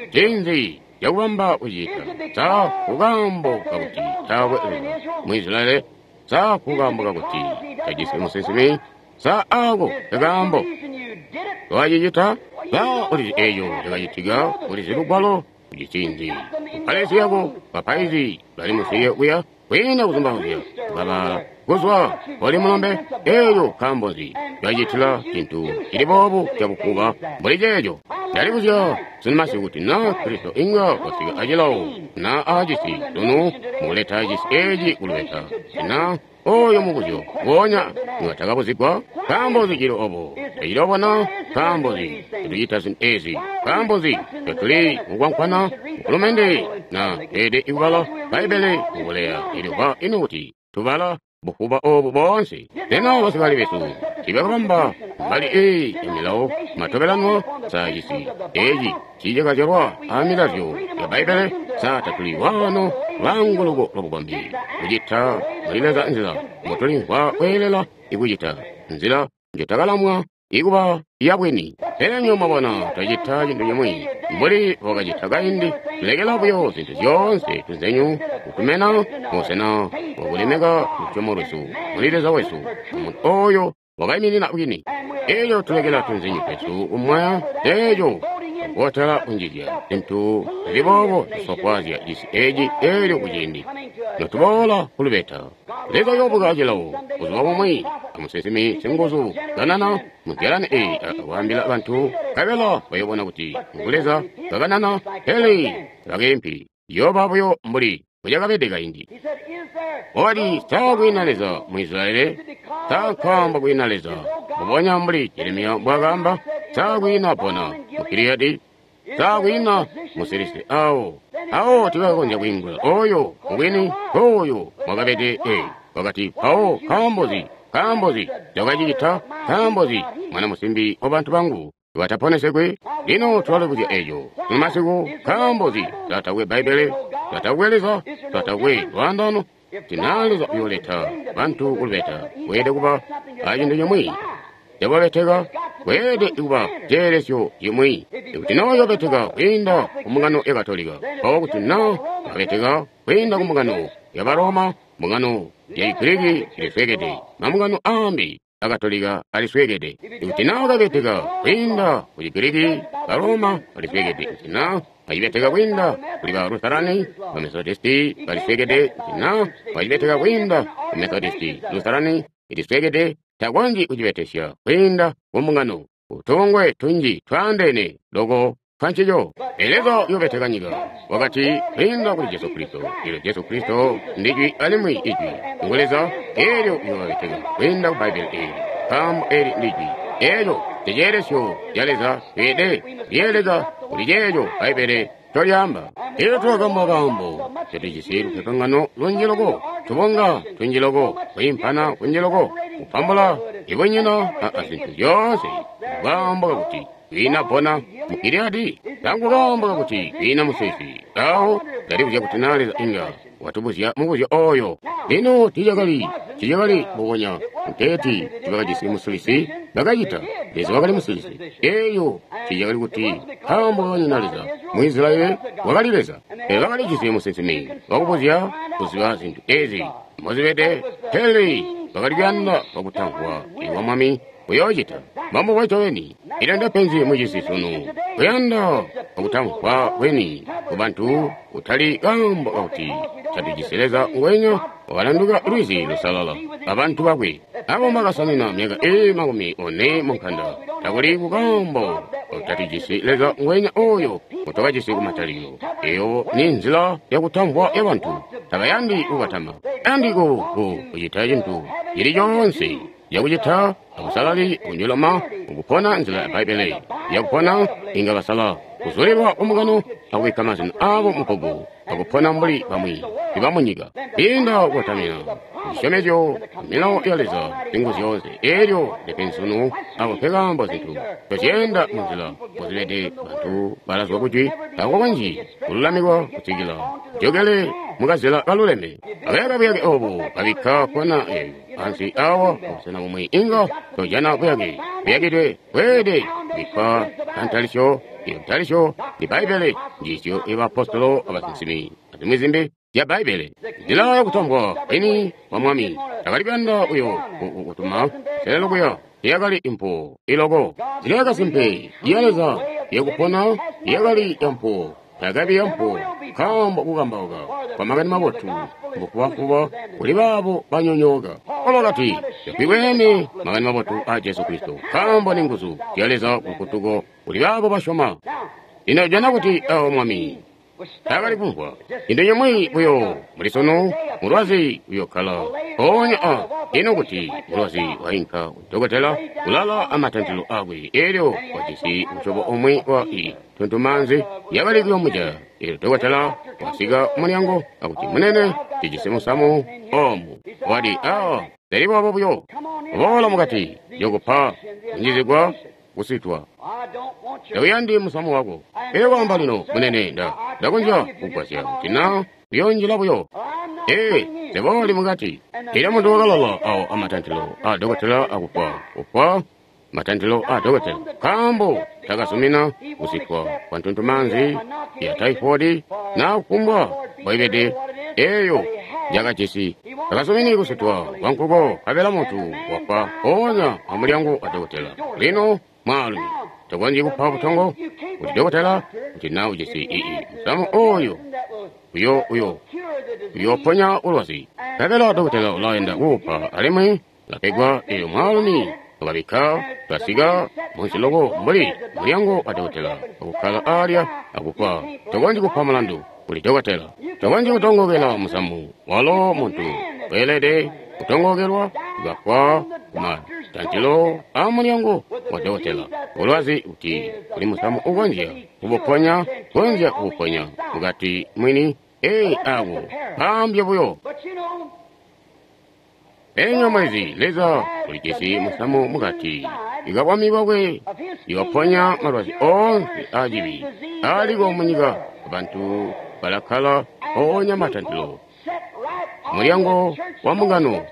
Ncinzi cakubamba kucita? Sa kukaambo kakuti taakwe Leza mu Israeli? Sa kukaambo kakuti tajisi musinsimi? Sa ako kakaambo wacicita? Sa ulizi eco cakacitika? Ulizi lugwalo ucicinzi mupalezi yako bapaizi bali musiye kuya kwiinda kuzumbauzya babala kuzwa oli mulombe. Eyo nkaambo nzi cacitila cintu cili boobu cabukuba mbuli ceeco? Ndalibuzya sunu kuti na Kristo inga wasika acilawo na aacisi sunu mukuleta cisi eci kulubeta, na oyo mubuzyo ngonya inga takabuzigwa. Nkaambo nzi cili obo? Tacili obo na? Nkaambo nzi tetucita zintu ezi? Nkaambo nzi tetuli mukwankwana mufulumende na teede ikubala Bbaibbele mukuleya elyo ino kuti tubala bufuba obu boonse? Lino basikale besu tibakabamba mbali eyi emilawo matobelanwa sa cisi eci cicakazyalwa amilazyo ya Bbaibbele. Sa tatuli wano lwanguluko lwabukombi kucita muli Leza nzila mbotulimvwa kweelela ikucita, nzila njotakalamwa ikuba ya bwini. Pele nywebo mwabona, twacita cintu cimwi mbuli bwakacita kaindi, tulekela buyo zintu zyoonse tunzenyu kutumena mubusena bwakulemeka lusyomo lwesu muli Leza wesu, muntu oyo wakaiminina bwini. Elyo tulekela tunzenyu twesu kumwaya eeco kotala kunjizya zintu zili boobo zisofwaazya cisi eci. Elyo kuciindi notuboola kulubeta, Leza uyoobuka cilawo buzuba bumwi amusinsimi singuzu kanana muzyalani eyi akwaambila bantu, nkabela bayoobona kuti ngu Leza kakanana, pele bakeempi yooba buyo mbuli mbucakabede kaindi. Wakati, sa kwiina Leza mu Israyeli? Sa nkaambo kwiina Leza? Mbubonya mbuli Jeremiya mbwaakaamba, sa kwiina pona mu Giliyadi? Sa kwiina musilisi awo? Awo tibakakonzya kwiingula oyo mubwini oyo mwakabede. Wakati, mpawo nkaambozi? Nkaambozi cakacicita? Nkaambozi mwana musimbi wa bantu bangu bataponesegwe? Lino tulalibuzya eco mumasiku. Nkaambozi tatakwe Bbaibbele, tatakwe Leza, tatakwe lwaandano? Tina Leza uyooleta bantu kulubeta, kweelede kuba acintu cimwi cababeteka, kweelede kuba ceelesyo cimwi. Ikuti na uyobeteka kwiinda ku mbungano ya Katolika, mpawo kuti na babeteka kwiinda ku mbungano ya Baroma, mbungano ya Chigiriki ilisweekede, mambungano aambi Akatolika alisweekede. Ikuti na wakabeteka kwiinda ku Chigiriki, Baroma balisweekede. Ikuti na wacibeteka kwiinda kuli ba Lutherani, ba Methodisti balisweekede. Ikuti na wacibeteka kwiinda ku Methodisti, Lutherani ilisweekede. Takonzyi kucibetesya kwiinda ku mbungano. Utongwe tunji twaandeene loko twancico. Leza uyobeteka nyika wakati kwiinda kuli Jesu Kristo. Elyo Jesu Kristo ndijwi alimwi ijwi ngu Leza. Elyo uyobeteka kwiinda ku Bbaibbele eli, nkaambo eli ndijwi. Elyo ndiceelesyo ca Leza tweede lyeeleka kuli ceeco Bbaibbele ncolyaamba. Elyo tulakamba kaambo tetujisi lupepangano lunji loko, tubonga tunji loko, kwiimpana kunji loko, kupambula ibunyina a zintu zyoonse, kaambo kakuti kwiina pona mu Giliyadi, tangu kaambo kakuti kwiina musilisi. Awo ndalibuzya kuti na Leza inga watubuzya mubuzyo oyo. Lino tiicakali mbubonya nteeti tibakajisi musilisi, bakacita. Leza wakali musilisi. Eyo tiicakali kuti nkaambo kakanyina Leza mu Israyeli, wakali Leza. Pele bakalijisi musinsimi wakubuzya kuziba zintu ezi mbozibede, pele bakali kuyanda wakutamvwa iwa Mwami uyoocita. Mbambo ncobeni. Elyo ndepenzi mucisi sunu, kuyanda wakutamvwa kweni kubantu, kutali kaambo kakuti tatujisi Leza ngwenya wakalanduka lwizi lusalala abantu bakwe abo mbakasanina myaka ili 40 munkanda. Takuli kukaambo tatujisi Leza ngwenya oyo ngotwakajisi kumatalikilo. Eyo ni nzila yakutamvwa yabantu. Tabayandi kubatama, yandi kucita cintu cili coonse yakucita abusalali kunjoloma ukupona nzila ya Bbaibbele yakupona. Inga basala kuzulilwa kumugano akubikka mazina abo mubbuku akupona mbuli bamwi ibamunyika, inda kubatamina cisyomezyo milawo ya Leza zingu zyoonse. Elyo ndepensunu abo pekaambo zintu tozyeenda munzila mbozibede. Bantu balazwa kujwi tako kanji kululamikwa kusikila jokele mukazila kaluleme. Akayaka buyake obu babikka kona eyo ansi awa abusena bumwi inga tojana buyake buyakidwe bweede bikkwa kantalisyo. Iyo ntalisyo ni Bbaibbele, njiisyo y'abaapostolo, abasinsimi, azimwi zimbi zya Bbaibbele. Nzila yakutamvwa kwini wa Mwami takali kuyanda uyo kutuma selelo kuya yakali impuwo iloko. Nzila yakasimpe ya Leza yakupona yakali yampuwo, takabi yampuwo, nkaambo kukambauka kwa makani mabotu mbufubafuba kuli baabo banyonyooka. Paulo wakati, "Tatwiweene makani mabotu a Jesu Kristo, nkaambo ni nguzu zya Leza kulufutuko kuli baabo basyoma." Lino jana kuti awo Mwami taakali kumvwa cintu cimwi buyo muli sunu. Mulwazi uyokkala mpoonya a ino kuti mulwazi wainka kudokotela kulala amatantilo akwe, elyo wajisi musyobo umwi wa i tuntumaanzi yakali kuyomuja. Elyo dokotela wasika mulyango akuti, "Munene, tijisi musamu omu." Wati, "A zili boobo buyo, boola mukati, yokupa kunjizigwa kusitwa. Tauyandi musamu wako." Elyo kwaamba, "Lino, munene, ndakonzya kugwasya kuti na uyonjila buyo." Ee, sebooli mukati. Elyo muntu wakalala awo amatantilo a dokotela akufwa kufwa matantilo a dokotela, nkaambo takazumina kusitwa kwa ntuntumaanzi ya taifodi na kufumbwa mbwaibede eyo yakajisi. Takazumini kusitwa kwa nkuko, nkabela muntu wafwa mpoonya amulyango wa dokotela. Lino mwaalumi takonzyi kupa butongo kuti dokotela kuti na ujisi ii musamu oyo uyo uyoponya bulwazi, nkabela dokotela ulaenda kuupa alimwi lapegwa. Eyo mwaalumi wakabikka twasika munsi loko mbuli mulyango wa dokotela akukkala alya akufa. Tokonzyi kupa mulandu kuli dokotela, tokonzyi kutongokela musamu. Walo muntu weelede kutongokelwa kukafwa kumatantilo a mulyango wa dokotela. Bulwazi kuti kuli musamu ukonzya kubuponya, konzya kubuponya mukati mwini. Ee, ako kaambye buyo. Enywa mwezi Leza ulijisi musamu mukati ikabwami bwakwe iwaponya malwazi oonse acibi aliko munyika. Bantu balakkala mpoonya matantilo mulyango wa mbungano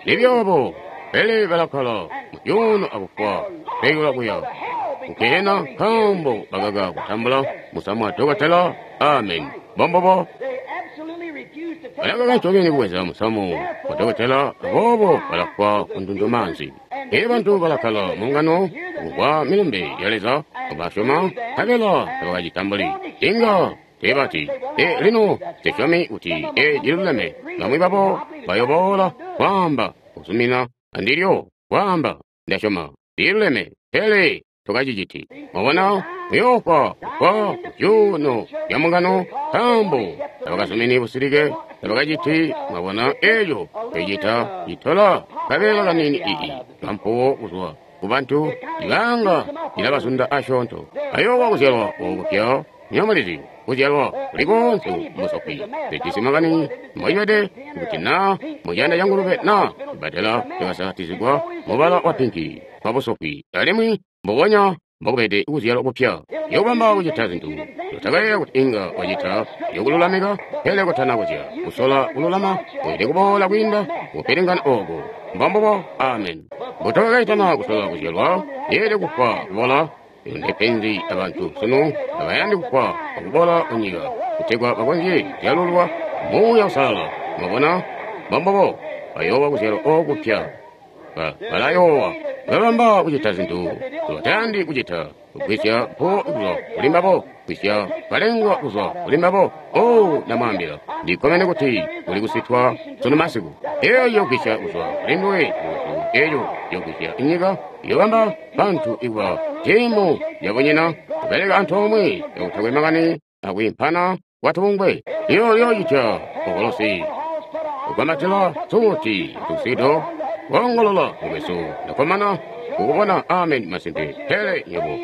nibyobo, pele balakkala mucuuno akufwa pekela kuya kukehena nkaambo bakaka kutambula musamu wa dokotela. Amen. Bombobo balakaka ncobeni kubweza musamu wa dokotela, aboobo balafwa ku ntuntumaanzi. Ee, bantu balakkala mungano kumvwa milumbe ya Leza, basyoma, nkabela tabakacitambuli. Inga teebati, e lino nsisyomi kuti e ciluleme. Bamwi babo bayoboola kwaamba kuzumina andilyo, kwaamba ndasyoma liluleme, pele tokaciciti. Mwabona, muyoofwa kufwa kucuuno lya mbungano nkaambo tabakazumini busilike, tabakaciti. Mwabona eco ecita citola kabeela kanini ii kampuwo kuzwa kubantu ibanga ilabazunda asyoonto. Ayoowa kuzyalwa okupya. Nyomulizi kuzyalwa kuli koonse musokwi zijisi makani mbocibede kuti na mucanda ca ngulube na cibbadela cakasakatizigwa mubala wa pinki wa busokwi, alimwi mbubonya mbokubede kuzyalwa kupya. Yokubamba kucita zintu zotakayeeya kuti inga wacita, yokululamika, pele kutana kuzya kusola kululama weelede kuboola kwiinda kupilingana oko. Mbombubo. Amen. Mbutokakaitana kusola kuzyalwa, yeelede kufwa kubola. Ndepenzi abantu sunu tabayandi kufwa akubola kunyika kutegwa bakonzye kuzyalulwa Muuya Uusalala. Mwabona, mbombubo bayoowa kuzyalwa okupya. Balayoowa babamba kucita zintu zibatayandi kucita, kugwisya mpuwo kuzwa kuli mbabo, kugwisya kalengwa kuzwa kuli mbabo. O, ndamwaambila, ndikkomene kuti kuli kusitwa sunu masiku. Eyo yogwisya kuzwa kuli nduwe muntu, eyo yogwisya inyika, iyobamba bantu ikuba tiimu yabunyina kubeleka antoomwe kakutakwe makani akwiimpana kwatubungwe. Iyo yoocita okolosi kugwamatila suti tusido koongolola mukwesu, ndakkomana kukubona. Amen. Masimpe. Pele nywebo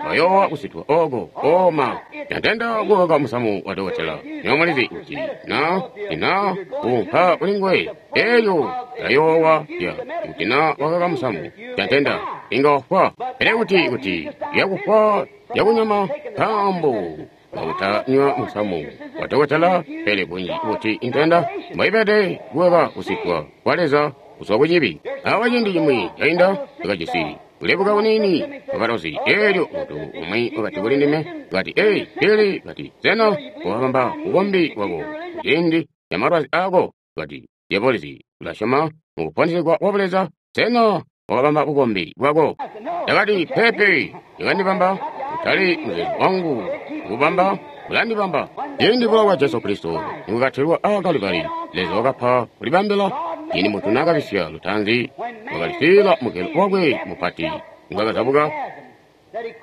bayoowa kusitwa oko. Oma yatenda kukaka musamu wa dokotela. Nyomulizi kuti na ina kuunka kuli nguwe eyo yayoowa ya kuti na wakaka musamu yatenda inga wafwa. Pele kuti yakufwa yakunyama nkaambo kakutanywa musamu wa dokotela. Pele bunji kuti intenda mboibede kukaka kusitwa kwa Leza kuzwa kucibi. Awa ciindi cimwi cainda ndakajisi kulebuka kuniini kwakatozi. Eelyo muntu umwi wakati kuli ndime, kati, "Ei, Billy," kati, "sena wakabamba bukombi bwako kuciindi ca malwazi ako?" Kati, "Dyabulosi, ulasyoma mu kuponesegwa kwa Buleza? Sena wakabamba bukombi bwako?" Ndakati, "Peepe, yakandibamba kutali muzeezo wangu kubamba, ulandibamba." Ciindi bulowa bwa Jesu Kristo nibwakatilwa aa Kalibali, Leza wakapa kulibambila. Ciindi muntu naakabisya lutaanzi, wakalisiila mugelo wakwe mupati ngwakazabuka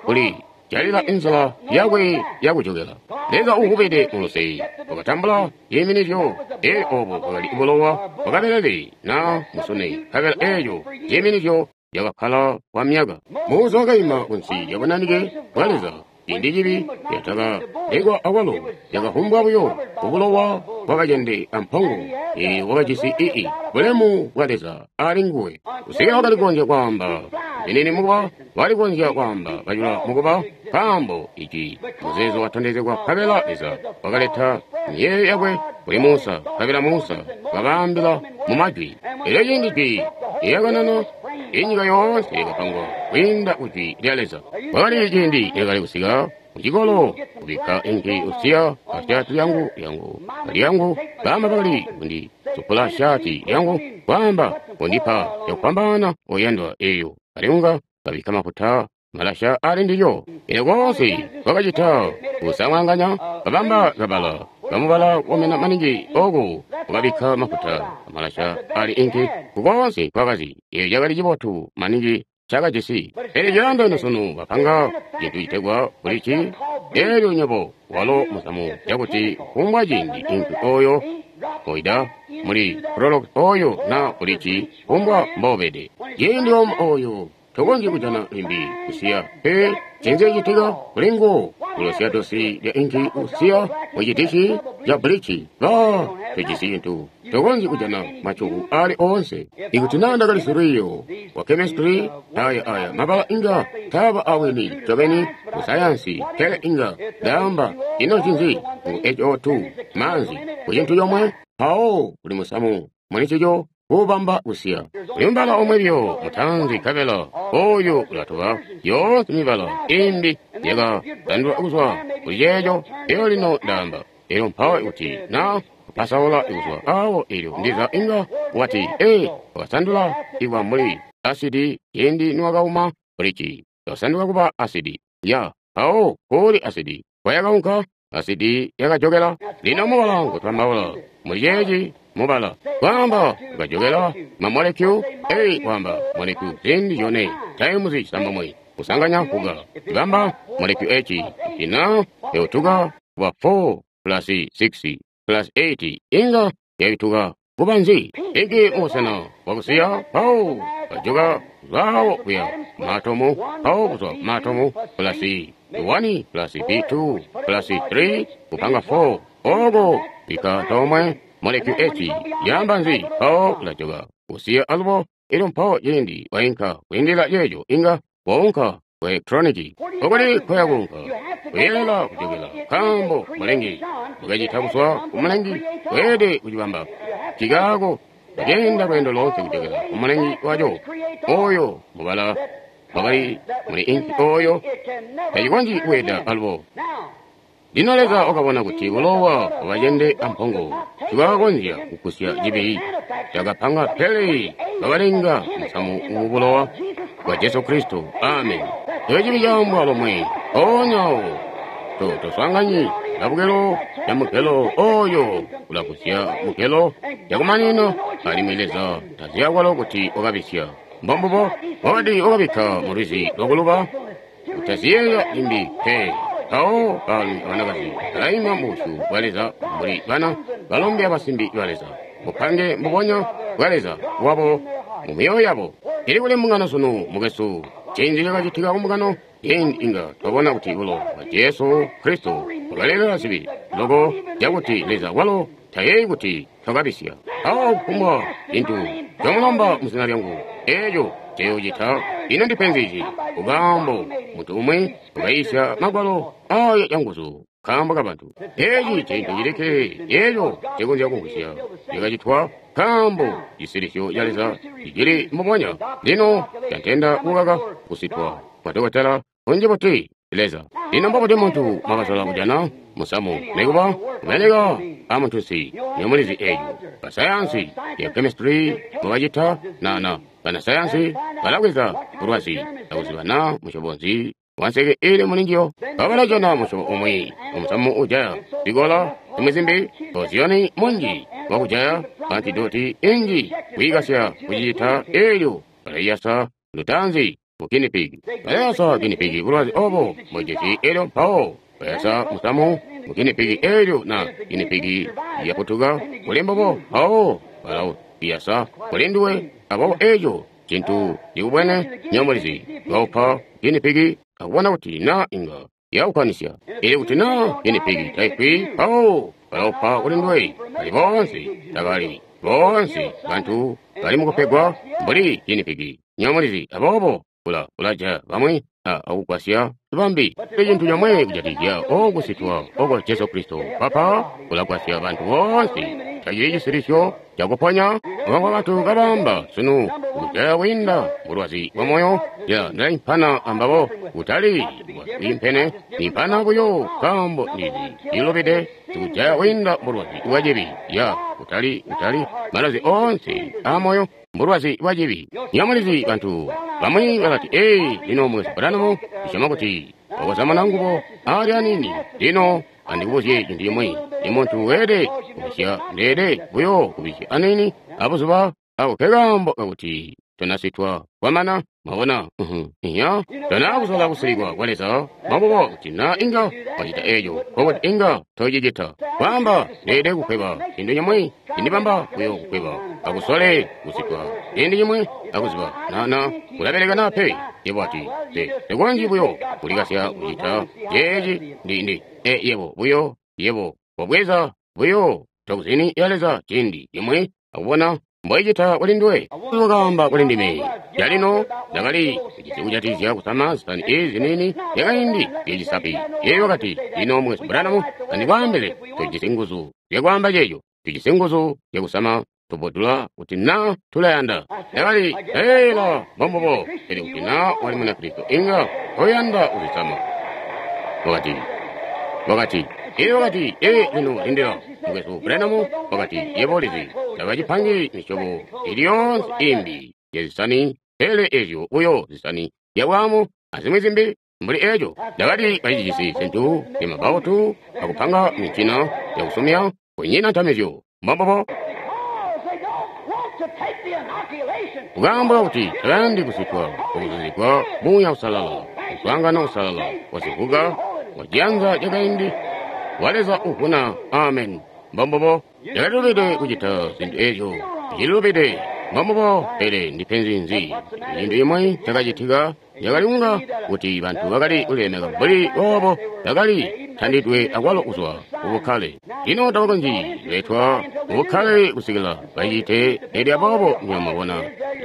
kuli jalila inzila yakwe yakujokela. Leza uukubede muluse wakatambula ciiminizyo. Ee, obo bwakali bulowa bwakabelele na musune, nkabela eeco ciiminizyo yakakkala kwa myaka. Musa wakaima kunsi yabunanike bwa Leza. Ciindi cibi yatakalekwa akwalo, yakavumbwa buyo kubulowa bwakacende ampongo. Ee, wakajisi ii bulemu bwa Leza ali nguwe kusikila wakali kukonzya kwaamba zinini mukuba, wakali kukonzya kwaamba bacula mukuba, nkaambo ici muzeezo watondezegwa. Nkabela Leza wakaleta miyeeyo yakwe kuli Musa, nkabela Musa wakabaambila mu majwi. Elyo ciindi jwi lyakanana, Inyika yoonse yakapangwa kwiinda ku Jwi lya Leza. Kwakali ciindi lyakali kusika kucikolo kubikka inki usiya ashaati yangu lyangu baama bakali kundi supula shaati yangu kwaamba kundipa cakupambana oyandwa eyo alinga kabikka mafuta malasha ali ndilyo. Eno konse kwakacita kusangwanganya kabamba kabala kamubala komena maningi oku ukabikka mafuta amalasha ali inki kukonse kwakazi eyo cakali cibotu maningi cakajisi. Pele cilanda ino sunu bapanga cintu citegwa bulici elyo nywebo walo musamu cakuti kufumbwa ciindi inki oyo oida muli prolog oyo na bulici kufumbwa mbobede ciindi omwe oyo tokonzyi kujana limbi kusiya pe cinzi citika kulingu kulosya dosi lya inki usiya mucitici ca bulici ba tojisi cintu tokonzyi kujana macuku ali oonse. Ikuti naa ndakali silwiiyo wa chemistry aya aya mabala inga taaba awini ncobeni ku sayansi pele inga ndaamba ino ncinzi ku HO2 maanzi ku cintu comwe mpawo kuli musamu mulincico kuubamba kusiya. Kuli mubala omwe biyo mutaanzi nkabela oyo ulatoba yoonse mibala imbi yakatandulwa kuzwa kuli ceeco. Elyo lino ndaamba elyo mpawo ikuti na kupasaula kuzwa awo elyo ndiza inga wati ee wakasandula ikwa mbuli asidi ciindi niwakauma bulici yakasanduka kuba asidi ya mpawo kuli asidi kwayakaunka asidi yakajokela. Lino mubala ngutwambaula muli ceeci mubala kwaamba ukajokela mamolekyu ei kwaamba molekyu ziindi zyone times cisambomwe kusanganya kuga ibamba molekyu eci ina yautuka kuba 4 plus 6 plus 8 inga yaituka kuba nzi iki mubusena bwakusiya mpawo kajoka kuzwawo kuya maatomu mpawo kuzwa maatomu plus 1 plus b2 plus 3 kupanga 4 oko bika tomwe molekyu eci yamba nzi mpawo ulajoka kusiya alubo. Elyo mpawo ciindi wainka kwiindila ceeco inga waunka ku elektroniki okuli kwayakunka kuyelela kujokela nkaambo mulengi mukacita kuzwa ku mulengi weelede kucibamba cikaako kucenda lweendo loonse kujokela ku mulengi waco oyo mubala wakali muli inki oyo tacikonzyi kuweda alubo. Lino Leza wakabona kuti bulowa bwabacende ampongo tibwakakonzya kugusya cibi cakapanga pele bakalenga musamu mu bulowa bwa Jesu Kristo. Amen. Eco cibi caambwa lomwe mpoonya awo toswaanganyi labukelo lya mugelo oyo ulagusya mugelo yakumanino alimwi Leza taziya kwalo kuti wakabisya. Mbombubo wakati wakabikka mu lwizi lwakuluba utaziyeeya limbi pe. Mpawo baalumi abanakazi balaima mubusyu bwa Leza mbuli bana balombe abasimbi ba Leza bupange mbubonya bwa Leza wabo mu myoyo yabo. Ili kuli mbungano sunu mukwesu cinzi cakacitika kumbungano ciindi inga twabona kuti bulowa bwa Jesu Kristo bwakalelela zibi loko cakuti Leza walo tayeeyi kuti twakabisya. Mpawo kufumbwa cintu comulomba muzina lyangu eeco nceyoocita. Ino ndipenzi nzi kukaambo muntu umwi wakaiisya magwalo aya canguzu nkaambo kabantu. Eeci cintu cilikke eeco cikonzya kumvwisya cakacitwa nkaambo cisilisyo ca Leza cicili mbubonya. Lino cantenda kukaka kusitwa kwa dokotela unji buti Leza. Lino mbobuti muntu mwakasola kujana musamu nikuba kubeleka amuntunsi nyomulizi eeco. Basayansi ya chemistry mwakacita nana banasayansi balabweza bulwazi akuziba na musyobo nzi wanseke ili mulinjiyo babalajana musyobo umwi omusamu ujaya zikola zimwi zimbi poziyoni munji wakujaya antidoti inji kuyikasya kucita eelyo balayiyasa lutanzi mu guinea pig. Balayasa guinea pig bulwazi obo mbojesi eelyo mpawo bayasa musamu mu guinea pig eelyo na guinea pig yaputuka kuli mbobo mpawo balawuyasa kuli nduwe. Aboobo eeco cintu cikubwene nyomulizi baupa guinea pig akubona kuti na inga yaukwanisya. Ili kuti na guinea pig taifwi mpawo balaupa kuli nduwe. Bali boonse tabali boonse bantu bali mukupegwa mbuli guinea pig nyomulizi. Aboobo ulaja bamwi akugwasya bambi. Icintu comwe kujatikizya okusitwa oko Jesu Kristo papa ulagwasya bantu boonse. Tacili cisilisyo cakuponya. Obo bantu kabamba sunu kujaya kwiinda bulwazi bwa moyo. Ya ndaimpana ambabo kutali bwiimpene, nimpana buyo nkaambo ndizi ilobede sikujaya kwiinda bulwazi bwa cibi. Ya kutali malwazi oonse a moyo mbulwazi bwa cibi. Nyamulizi bantu bamwi bakati, ee, lino Mukwesu Branham ndisyoma kuti wakozamana ngubo ali anini. Lino andikubuzye cintu cimwi, ni muntu weelede kubisya, ndeede buyo kubisya anini abuzuba ako ke kaambo kakuti tonasitwa kwamana. Mwabona? Iya, tona kusola kusilikwa kwa Leza. Mwabubo kuti na inga wacita eco, nkokuti inga tocicita. Kwaamba ndeede kukweba cintu cimwi, cindibamba buyo kukweba. Akusole kusitwa ciindi cimwi akuziba na kulabeleka na pe. Yebo ati tekonzyi buyo kulikasya kucita ceeci ndi yebo buyo yebo wabweza buyo tokuzini ya Leza ciindi cimwi akubona mboicita kuli nduwe. Wakaamba kuli ndime calino ndakali kujisi kujatizya kusama zisani ezi nini yakaindi yecisapi. Yeyo wakati, lino Mukwesu Branham, andikwaambile, tujisi nguzu zyakwaamba ceeco, tujisi nguzu zyakusama tubodula kuti na tulayanda. Ndakali ela mbombubo, pele kuti na wali Munakristo inga toyanda kuzisama. Wakati iye wakati, ee, lino lindila Mukwesu Branham, wakati, yebo ulizi tabacipangi misyobo ili yoonse imbi yazisani pele ezyo buyo zisani zyabwamu azimwi zimbi mbuli eco. Ndakati bacijisi zintu zyamabautu akupanga mincina yakusumya kunyina ntamizyo. Mbombubo. Kukaamba kuti tabayandi kusitwa okuzuzigwa Muuya Usalala, muswaangano usalala wazivuka waciyanza cakaindi wa Leza uvuna. Amen. Mbombubo. Yakalilubide kucita zintu ezyo, icililubide. Mbombubo. Pele ndipenzi nzi? Cintu cimwi cakacitika yakaliunga kuti bantu bakali kulilemeka mbuli boobo bakali tandidwe akwalo kuzwa kubukkale. Lino tabakonzyi kuletwa kubukkale kusikila bacite elyo aboobo nywebo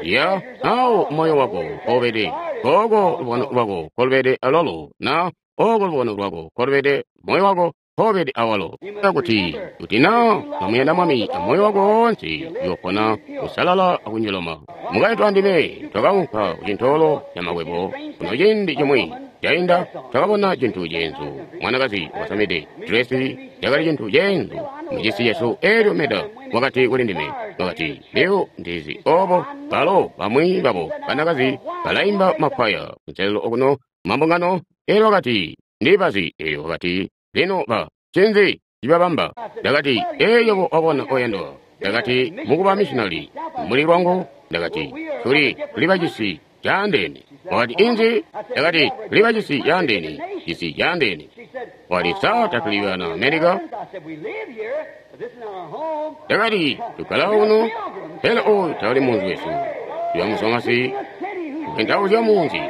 ya awo moyo wako koobede kooko lubono lwako kolubede alolo na oko lubono lwako kolubede moyo wako koobede awalo. Kuti kuti na kamuyanda Mwami amoyo wako woonse uyopona kusalala akunjiloma. Mukaintu andime twakaunka kucintoolo ca makwebo kuno ciindi cimwi cainda, twakabona cintu ceenzu. Mwanakazi wakasamide dresi yakali cintu ceenzu mucisi cesu. Elyo meda wakati kuli ndime, wakati, leo ndizi obo balo bamwi babo banakazi balaimba makwaya kunselelo okuno mambungano. Elyo wakati, ndibazi. Elyo wakati, lino ba cinzi cibabamba? Ndakati, ee, yebo wabona oyandwa. Ndakati, mukuba missionary muli lwangu. Ndakati, tuli bacisi caandeene. Wakati, inzi? Ndakati, tuli bacisi caandeene, cisi caandeene. Wakati, sa tatuli bana America? Ndakati, tukkala kuno, pele oyu tawuli munzi wesu. Tuya musomasi kupendauzya munzi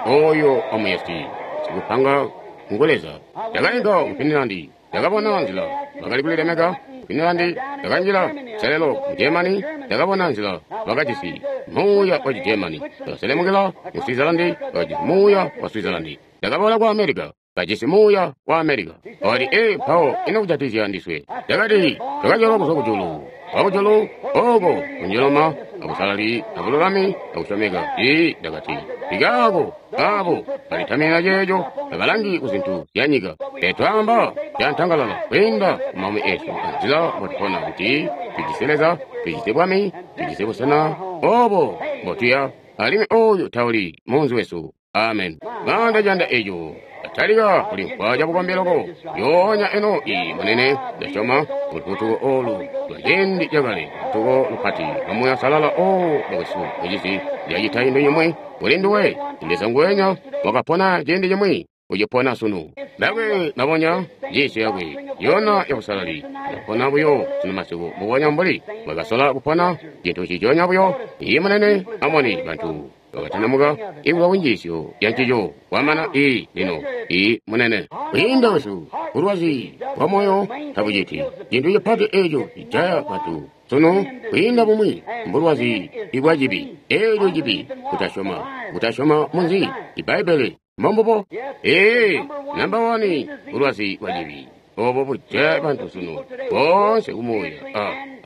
oyo wamuyesi sikupanga ngu Leza. Ndakainka ku Finland, ndakabona nzila bakali kulilemeka. Finland, ndakanjila selelo mu Germany, ndakabona nzila bakajisi muuya wa Germany. Ndakaselemukila mu Switzerland, bakajisi muuya wa Switzerland. Ndakaboola ku America, bajisi muuya wa America. Wakati, ee, mpawo ino kujatizya ndiswe? Ndakati, twakazyalwa kuzwa kujulu, wakujulu oko kunjiloma akusalali akululami akusyomeka. Ii, ndakati, ikaako abo balitamina ceeco tabalangi ku zintu zya nyika. Pele twaamba cantangalala kwiinda ku maumi esu anzila mbotupona kuti tujisi Leza, tujisi Bwami, tujisi busena obo mbotuya, alimwi oyu tawuli munzi wesu. Amen. Ng'anda canda eco atalika kulimvwa cabukombi loko yoonya eno iyi munene. Ndasyoma lufutuko olu lwa ciindi cakale, lufutuko lupati lwa Muuya Usalala o bakwesu mucizi lyacita cintu cimwi kuli nduwe. Leza nguwenya wakapona ciindi cimwi ucipona sunu. Bakwe mabonya njiisyo yakwe yona yabusalali yapona buyo sunu masiku mbubonya mbuli bwakasola kupona cintu ciconya buyo. Iyi munene amoni bantu bakatanamuka ikuzwa kunjiisyo ya ncico kwamana. Iyi lino iyi munene kwiinda wesu bulwazi bwa moyo tabuciti cintu cipati eco cijaya bantu sunu kwiinda bumwi mbulwazi ibwa cibi. Eco cibi kutasyoma, kutasyoma munzi Ibbaibbele. Mbombubo. Ee, namba 1 bulwazi bwa cibi. obo bujaya bantu sunu boonse kumuuya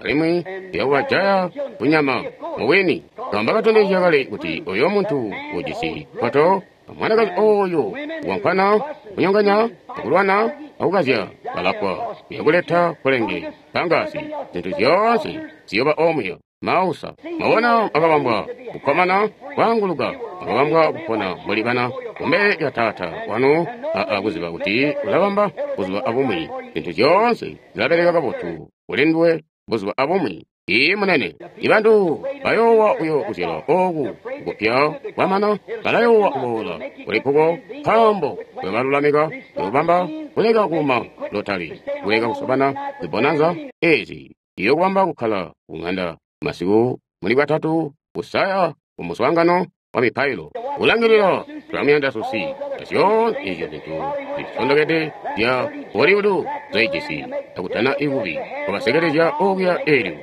alimwi yakubajaya kunyama mubwini. Nkaambo katondezya kale kuti oyo muntu ujisi poto mwanakazi oyo wankwana kunyonganya akulwana akukazya balafwa uyakuleta kulenge pangasi zintu zyoonse ziyoba omuya mausa. Mwabona akabambwa kukkomana kwaanguluka, akabambwa kupona mbuli bana kumbele lya Taata wanu akuziba kuti ulabamba buzuba abumwi. Zintu zyoonse zilabeleka kabotu kuli nduwe buzuba abumwi. Iiyi munene, ibantu bayoowa uyo kuzyalwa ooku kupya kwamana balayoowa kuboola kulikuko nkaambo kuyobalulamika kuyobamba kuleka kuuma lotali kuleka kusobana zibonanza ezi iyokubamba kukkala kung'anda masiku muli bwatatu kusaya kumuswaangano wa mipailo kulangilila tulamuyanda susi azyoonse ezyo zintu zisondokede zya Hollywood zaijisi akutana ikubi kubasekelezya okuya elyo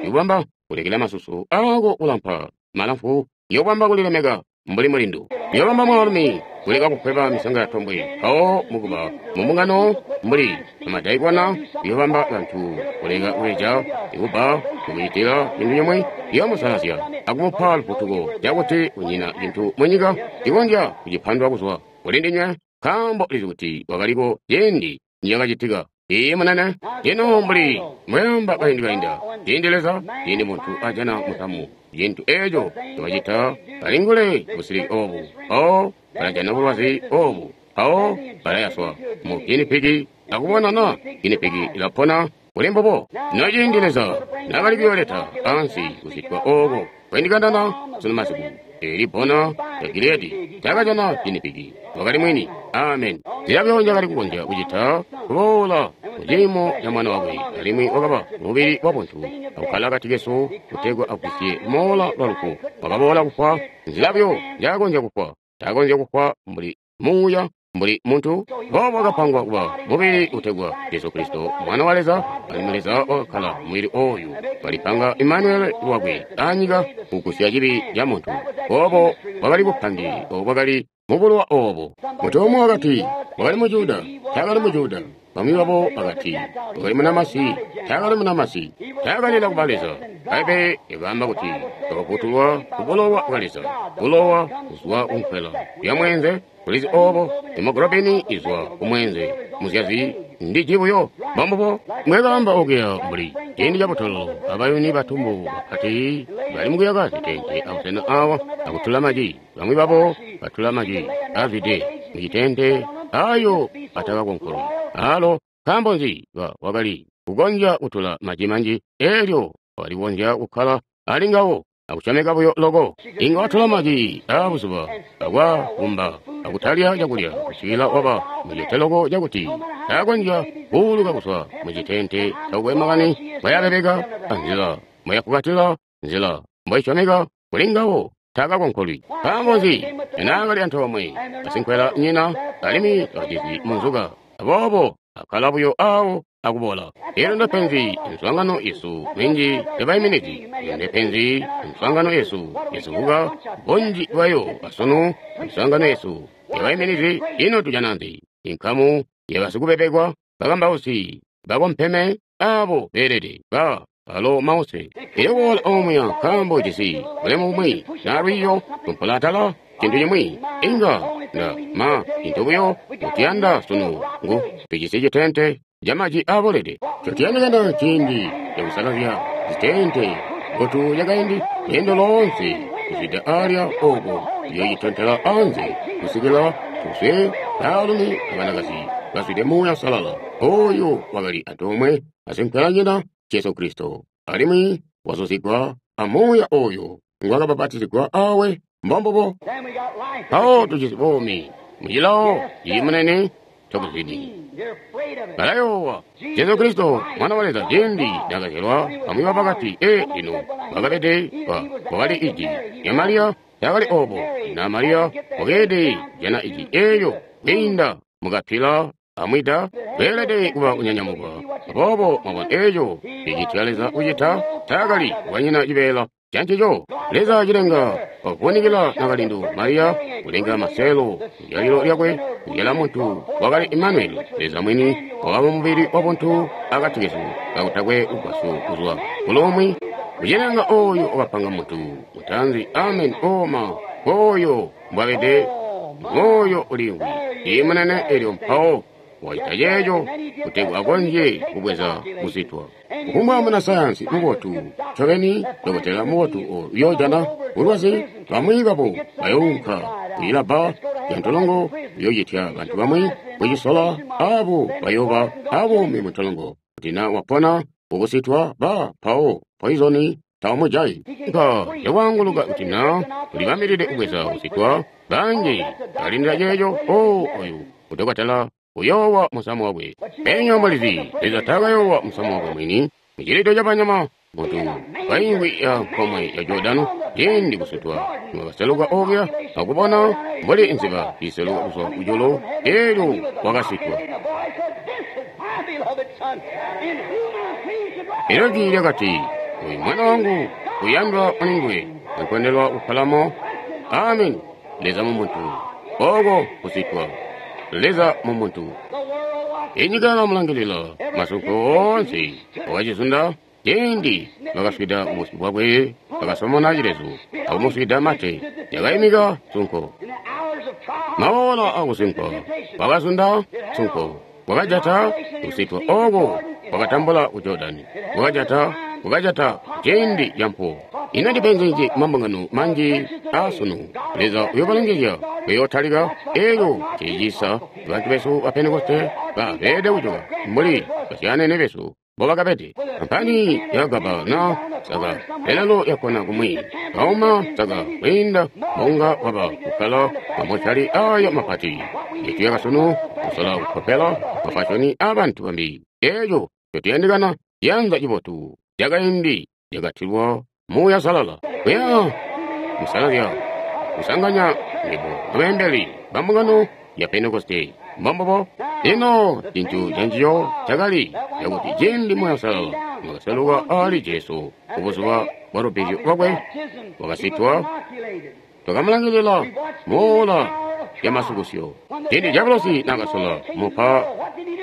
yokubamba kulekela masusu ako kulampa malamfu yokubamba kulilemeka mbuli mulindu yobamba mwaalumi kuleka kukweba misanga ya tombwe mpawo mukuba mumbungano mbuli amadaikona yobamba bantu kuleka kubeja ikuba kukucitila cintu cimwi yomusalazya akumupa lufutuko cakuti kunyina cintu munyika cikonzya kucipandwa kuzwa kuli ndinywe nkaambo ulizi kuti wakaliko ciindi niyakacitika. Iiyi munene, ino mbuli mweamba kaindi kainda ciindi Leza ciindi muntu ajana musamu cintu eeco ncobacita balingule busiliki oobu mpawo balajana bulwazi oobu mpawo balayaswa mu ginipiki akubona na ginipiki ilapona kuli mbubo. Ino ciindi Leza naakali kuyooleta ansi kusitwa ooko kwendikandana sunu masiku eli bbona lya Giliyadi taakajana ginipiki wakali mwini. Amen. Zilabyo njakali kukonzya kucita kuboola muciimo ca mwana wakwe alimwi wakaba mubili wabuntu akukkala akati kesu kutegwa agwisye moola lwa lufu. Wakaboola kufwa nzilabyo njaakonzya kufwa. Taakonzya kufwa mbuli muuya mbuli muntu. Boobo wakapangwa kuba mubili utegwa Jesu Kristo mwana wa Leza, alimwi Leza wakakkala mubili ooyu walipanga Imanueli lwakwe anyika kugusya cibi ca muntu. Boobo bwakali bupange obo bwakali mubulowa oobo. Muntu umwi wakati wakali mu Juda, taakali mu Juda. Bamwi babo bakati wakali munamasi, taakali munamasi. Taakalila kuba Leza. Bbaibbele likaamba kuti wakafutulwa kubulowa bwa Leza, bulowa kuzwa kunkwela ya mweenze. Ulizi oobo hemoglobini izwa kumweenze muzyazi ndiji buyo mbombubo mwekaamba okuya mbuli ciindi cabutolo abayuni batumbu bapati bali mukuyaka zitente abusena awa akutula maji. Bamwi babo batula maji azwide mucitente ayo atakakonkolwi alo. Nkaambo nzi? Wakali kukonzya kutula maji manji elyo wakali kukonzya kukkala ali ngawo akusyomeka buyo loko. Inga watula maji aabuzuba akwakumba akutalya cakulya kusikila waba mucete loko cakuti taakonzya kuuluka kuzwa mucitente takukwe makani mbwayabeleka anzila mbwayafukatila nzila mbwaisyomeka kuli ngawo taakakonkolwi. Nkaambo nzi? Naakali antoomwe asinkwela nyina alimwi wakajisi munzuka aboobo akkala buyo aawo akubola. Elyo ndepenzi miswaangano yesu minji yabaiminizi. Elyo ndepenzi miswaangano yesu yasubuka bunji bwayo asunu miswaangano yesu yabaiminizi. Ino tujana nzi? Inkamu yabasikubebekwa bakambausi bakompeme abo beelede ba alo mause. Elyo kuboola omuya nkaambo ujisi bulemu bumwi na lwiiyo tumpola atala cintu cimwi inga nda ma cintu buyo mutiyanda sunu ngu tujisi citente camaji aabolede. Cotuyandikana ciindi cakusalazya zitente mbotu yakaindi lweendo loonse kuzwida alya ooko tuyoocitontela anze kusikila tuzwe baalumi abanakazi bazwide Muuya Uusalala ooyo wakali antoomwe asinkwelanyina Jesu Kristo alimwi wazuzigwa a Muuya ooyo ngwakabapatizigwa awe. Mbombubo mpawo tujisi buumi mucilawo cili munene cakuzwidi. Balayoowa Jesu Kristo mwana wa Leza ciindi naakazyalwa bamwi bakati lino wakabede wakali iji lya Mariya. Taakali oobo na Mariya wakeelede kujana iji eelyo kwiinda mukapila amwida beelede kuba kunyanyamuka. Aboobo mwabona eeco cicitya Leza kucita taakali wanyina cibeela. Cancico Leza cilenga wavunikila nakalindu Mariya kulenga maselo kuzyalilo lyakwe kuzyala muntu wakali Emmanuel, Leza mwini wakaba mubili wa buntu akati kesu kakutakwe lugwasyo kuzwa kulomwe. Kucilenga oyo wakapanga muntu mutanzi. Amen. Oma oyo mbwabede moyo uliimvwi imunene elyo mpawo wacita ceeco kutegwa akonzye kubweza kusitwa. Kufumbwa muna sayansi mubotu ncobeni, dokotela mubotu uyoojana bulwazi, bamwi babo bayounka kuyilabba ya ntolongo uyoocitya bantu bamwi kucisola, abo bayooba abuumi mu ntolongo. Kuti na wapona kukusitwa ba mpawo poizoni taumujayi. Nka yakwaanguluka kuti na ulibambilide kubweza kusitwa, banji balindila ceeco. O oyu udokotela uyoowa musamu wakwe. Penya mulizi, Leza taakayoowa musamu wakwe mwini. Mucilito cabanyama muntu kaingwi ya nkomwe ya Jordano ciindi kusutwa wakaseluka okuya akubona mbuli nziba iseluka kuzwa kujulu, elyo wakasitwa. Elyo jwi lyakati, uyu mwana wangu uyandwa mulinguwe, nkondelwa kukkalamo. Amen. Leza mu muntu, oko kusitwa. Leza mu muntu. Inyika yakamulangilila masunko oonse wakacizunda. Ciindi bakaswida busyu bwakwe, bakasomona cilezu akumuswida mate, yakaimika sunko. Maola akusunkwa wakazunda sunko, wakajata kusitwa oko wakatambula ku Jordani, wakajata ciindi campuwo. Ino ndipenzi nzi mambungano manji aasunu? Leza uyobalongezya kuyootalika elyo cicisa bantu besu ba Pentekoste babeede kujoka mbuli basyaanene besu mbobakabede. Kampani yakagaba na saka lelalo yakona kumwi kauma saka kwiinda mbonga waba kukkala mamoshali ayo mapati yetu yakasunu kusola kukkopela mafashoni abantu bambi. Eeco cotuyandikana ciyanza cibotu cakaindi cakatilwa Muuya Salala kuya musalazya kusanganya nebo abeembeli bambungano ya Pentekoste. Mbombobo ino cintu canciyo cakali cakuti ciindi Muuya Salala wakaseluka ali Jesu kubuzuba bwa lubbizyo lwakwe wakasitwa, twakamulangilila moola ya masukusyo. Ciindi Diabolosi naakasola mupa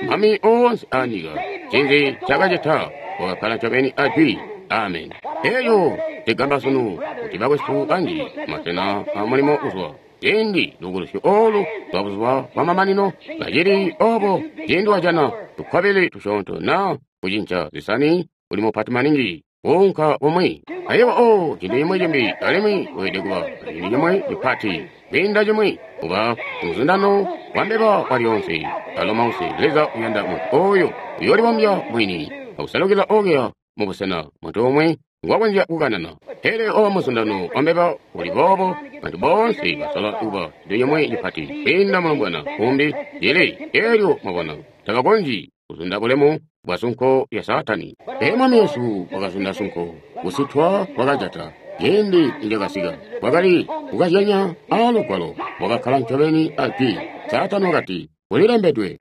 mami oonse aanyika, cinzi cakacita wakakkala ncobeni ajwi. Amen. Eyo tigamba sunu kuti bakwesu banji masena amulimo kuzwa ciindi lukulusyo olu lwa buzuba bwa mamanino kacili obo. Ciindi wajana tukwabili tusyoonto na kucinca zisani uli mupati maningi kuunka bumwi ayibo o cintu cimwi cimbi, alimwi weelede kuba cintu cimwi cipati kwiinda cimwi kuba muzundano wa mbeba wa lyoonse. Alo mause Leza uyanda muntu oyo uyoolibombya mwini akusalukila okuya mubusena muntu umwe ngwakonzya kukanana. Pele oba muzundano wa mbeba uli boobo, bantu boonse basola kuba cintu cimwi cipati kwiinda mulombwana umbi cili elyo mwabona tabakonzyi kuzunda bulemu bwa sunko lya Saatani. Pele Mwami Yesu wakazunda sunko, kusitwa kwakajata. Ciindi nicakasika kwakali kukazyanya aa Lugwalo, wakakkala ncobeni ajwi. Saatani wakati, kulilembedwe.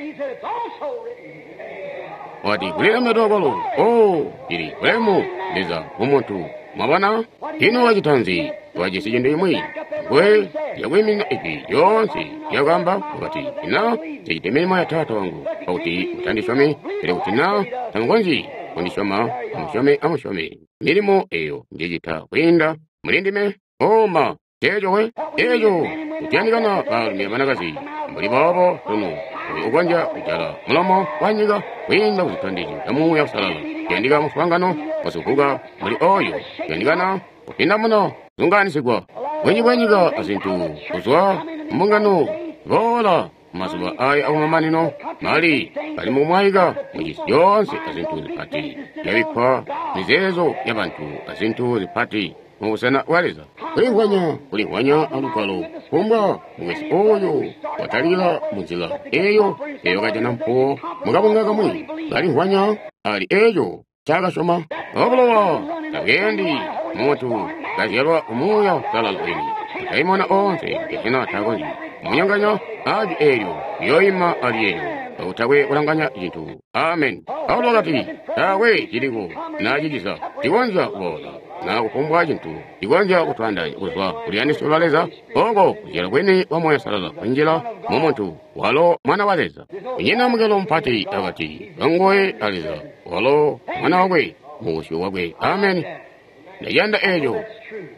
Wakati, kulilembedwe kwalo. O, cili bulemu Leza mu muntu. Mwabona? Ino wacita nzi? Wajisi cintu cimwi ngwe yakwiiminina ijwi lyoonse lyakaamba. Wakati, ina ncicita milimo ya Taata wangu, pakuti mutandisyomi, pele kuti na tamukonzyi kundisyoma, amusyome, amusyome milimo eyo njicita kwiinda muli ndime. Oma ceeco we eeco kutiyandikana baalumi abanakazi mbuli boobo sunu, oyo ukonzya kujala mulomo wa nyika kwiinda kuzitondezyo zya Muuya Uusalala. Kuyandika muswaangano wasukuka mbuli oyo, kuyandikana kupindamuna zungaanisigwa bwinji bwa nyika azintu kuzwa mbungano boola mazuba aya akumamanino. Mali bali mukumwaika mucisi yoonse azintu zipati yabikkwa mizeezo yabantu azintu zipati mubusena bwa Leza. Kulimvwanya, kulimvwanya alugwalo kumbwa mukwesu oyo watalika munzila eyo eyo kajana mpuwo mukabunga kamwi kalimvwanya ali eco ncaakasyoma. Obulowa tabweendi muntu kazyalwa Muuya Uusalala wini. Madaimona oonse gehena takonzyi kumunyonganya ajwi eelyo, liyooima ali eelyo kakutakwe kulanganya cintu. Amen. Paulo wakati, taakwe ciliko na ciciza cikonzya kuboola na kufumbwa cintu cikonzya kutwaandaanya kuzwa ku luyandisyo lwa Leza, oko kuzyalwa kwini kwa Muuya Uusalala kunjila mu muntu, walo Mwana wa Leza. Kunyina mungelo mupati akati kanguwe a Leza, walo Mwana wakwe mu busyu bwakwe. Ameni. Ndaciyanda eco.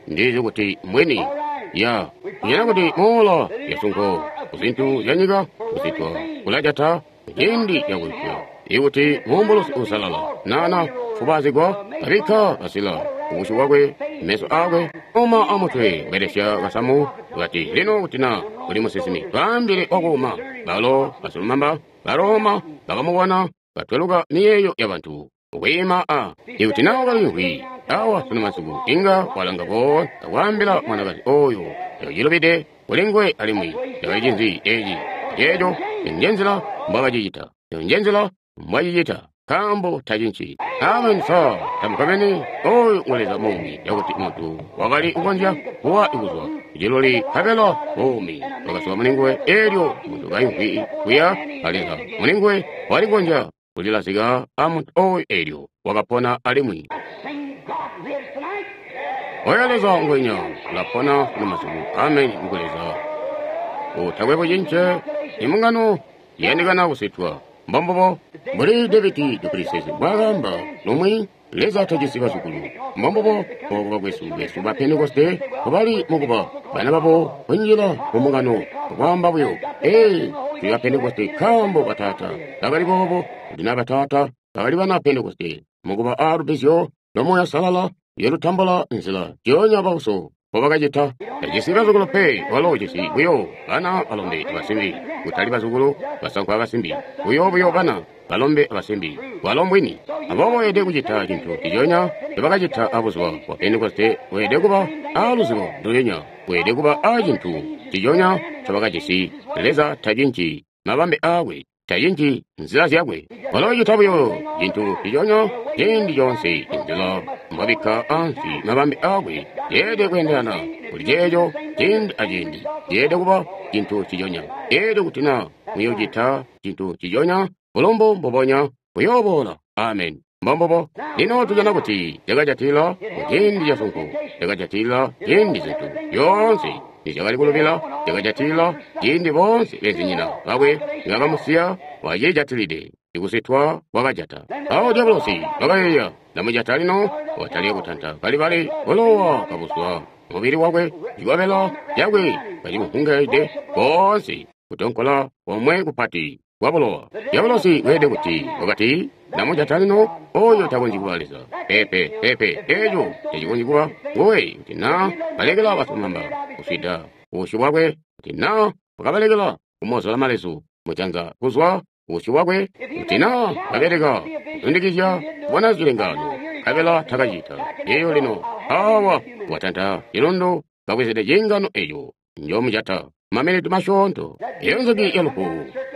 Ndizi kuti mbwini. Ya, kunyina kuti moola ya sunko ku zintu zya nyika kusitwa kulajata ciindi cakupya. Ikuti muumbulusi uusalala nana fubazigwa kabikka kasila kubusyu bwakwe, meso akwe, uma amutwe kubelesya kasamu, kati lino kuti na uli musinsimi, twaambile wakuuma. Balo basilumamba ba Roma bakamubona katweluka miyeeyo ya bantu. Kwiima a ikuti na wakalimvwi awa sunu masiku, inga walanga koonse akwaambila mwanakazi oyo cakacilubide kuli nguwe alimwi cakali cinzi eci ceeco. Nje nzila mbwakacicita, nje nzila mbwacicita, nkaambo tacinci. Amen. Sa tamukabeni oyu ngu Leza muumi, cakuti muntu wakali kukonzya kuwa kuzwa kuciluli nkabela buumi bwakazwa muli nguwe. Eelyo muntu kaimvwi kuya a Leza muli nguwe, wali kukonzya kulilazika a muntu oyu, eelyo wakapona alimwi. Oyo Leza ngwenya ulapona sunu masiku. Amen. Ngu Leza utakwe bucince. Imbungano iyandikana kusitwa. Mbombubo mbuli David duPlessis mbwaakaamba lumwi, Leza tajisi bazukulu. Mbombubo obo bakwesu besu ba Pentekoste mbobali mukuba bana babo kunjila mu mbungano akwaamba buyo, Ee, tuli ba Pentekoste nkaambo bataata bakali boobo, kuti naa bataata bakali bana Pentekoste. Mukuba a lubbizyo lwa Muuya Uusalala yolutambula nzila njionya bauso mbobakacita. Tajisi bazukulu pe, walo ujisi buyo bana balombe abasimbi, kutali bazukulu basankwa abasimbi, buyo buyo bana balombe abasimbi. Walo mbwini. Aboobo weelede kucita cintu nciconya ncobakacita abuzuba bwa Pentekoste. Weelede kuba a luzibo ndulyonya. Weelede kuba a cintu nciconya ncobakajisi. Leza tacinci mabambe aakwe, tacinci nzila zyakwe. Walo ucita buyo cintu nciconya ciindi coonse. Inzila mbwabikka ansi mabambe aakwe yeelede kweendelana kuli ceeco ciindi aciindi. Yeelede kuba cintu nciconya. Eelyo kuti naa muyoocita cintu nciconya, bulumbu mbubonya buyooboola. Amen. Mbombubo. Lino tujana kuti cakajatila kuciindi casunko, cakajatila ciindi zintu zyoonse nizyakali kulubila, cakajatila ciindi boonse beenzinyina bakwe nibakamusiya, wacijatilide. Ikusitwa kwakajata. Awo Diabolosi wakayeeya, ndamujata lino. Watalika kutanta kalibali, bulowa kabuzwa mubili wakwe, cikobela cakwe kacimuhungaide koonse, kutonkola komwe kupati kwa bulowa. Diabolosi weelede kuti wakati, ndamujata lino, oyo takonzyi kuba Leza. Peepe, peepe, eco tacikonzyi kuba nguwe kuti naa balekela basilumamba kuswida busyu bwakwe, kuti naa wakabalekela kumozola malezu mujanza kuzwa busyu bwakwe, kuti naa babeleka kuzundikizya kubona zilengaano, nkabela takacita. Eyo lino awa watanta cilundu kabwezede ciingano eco njomujata maminiti masyoonto. Eyo nzuki ya lufu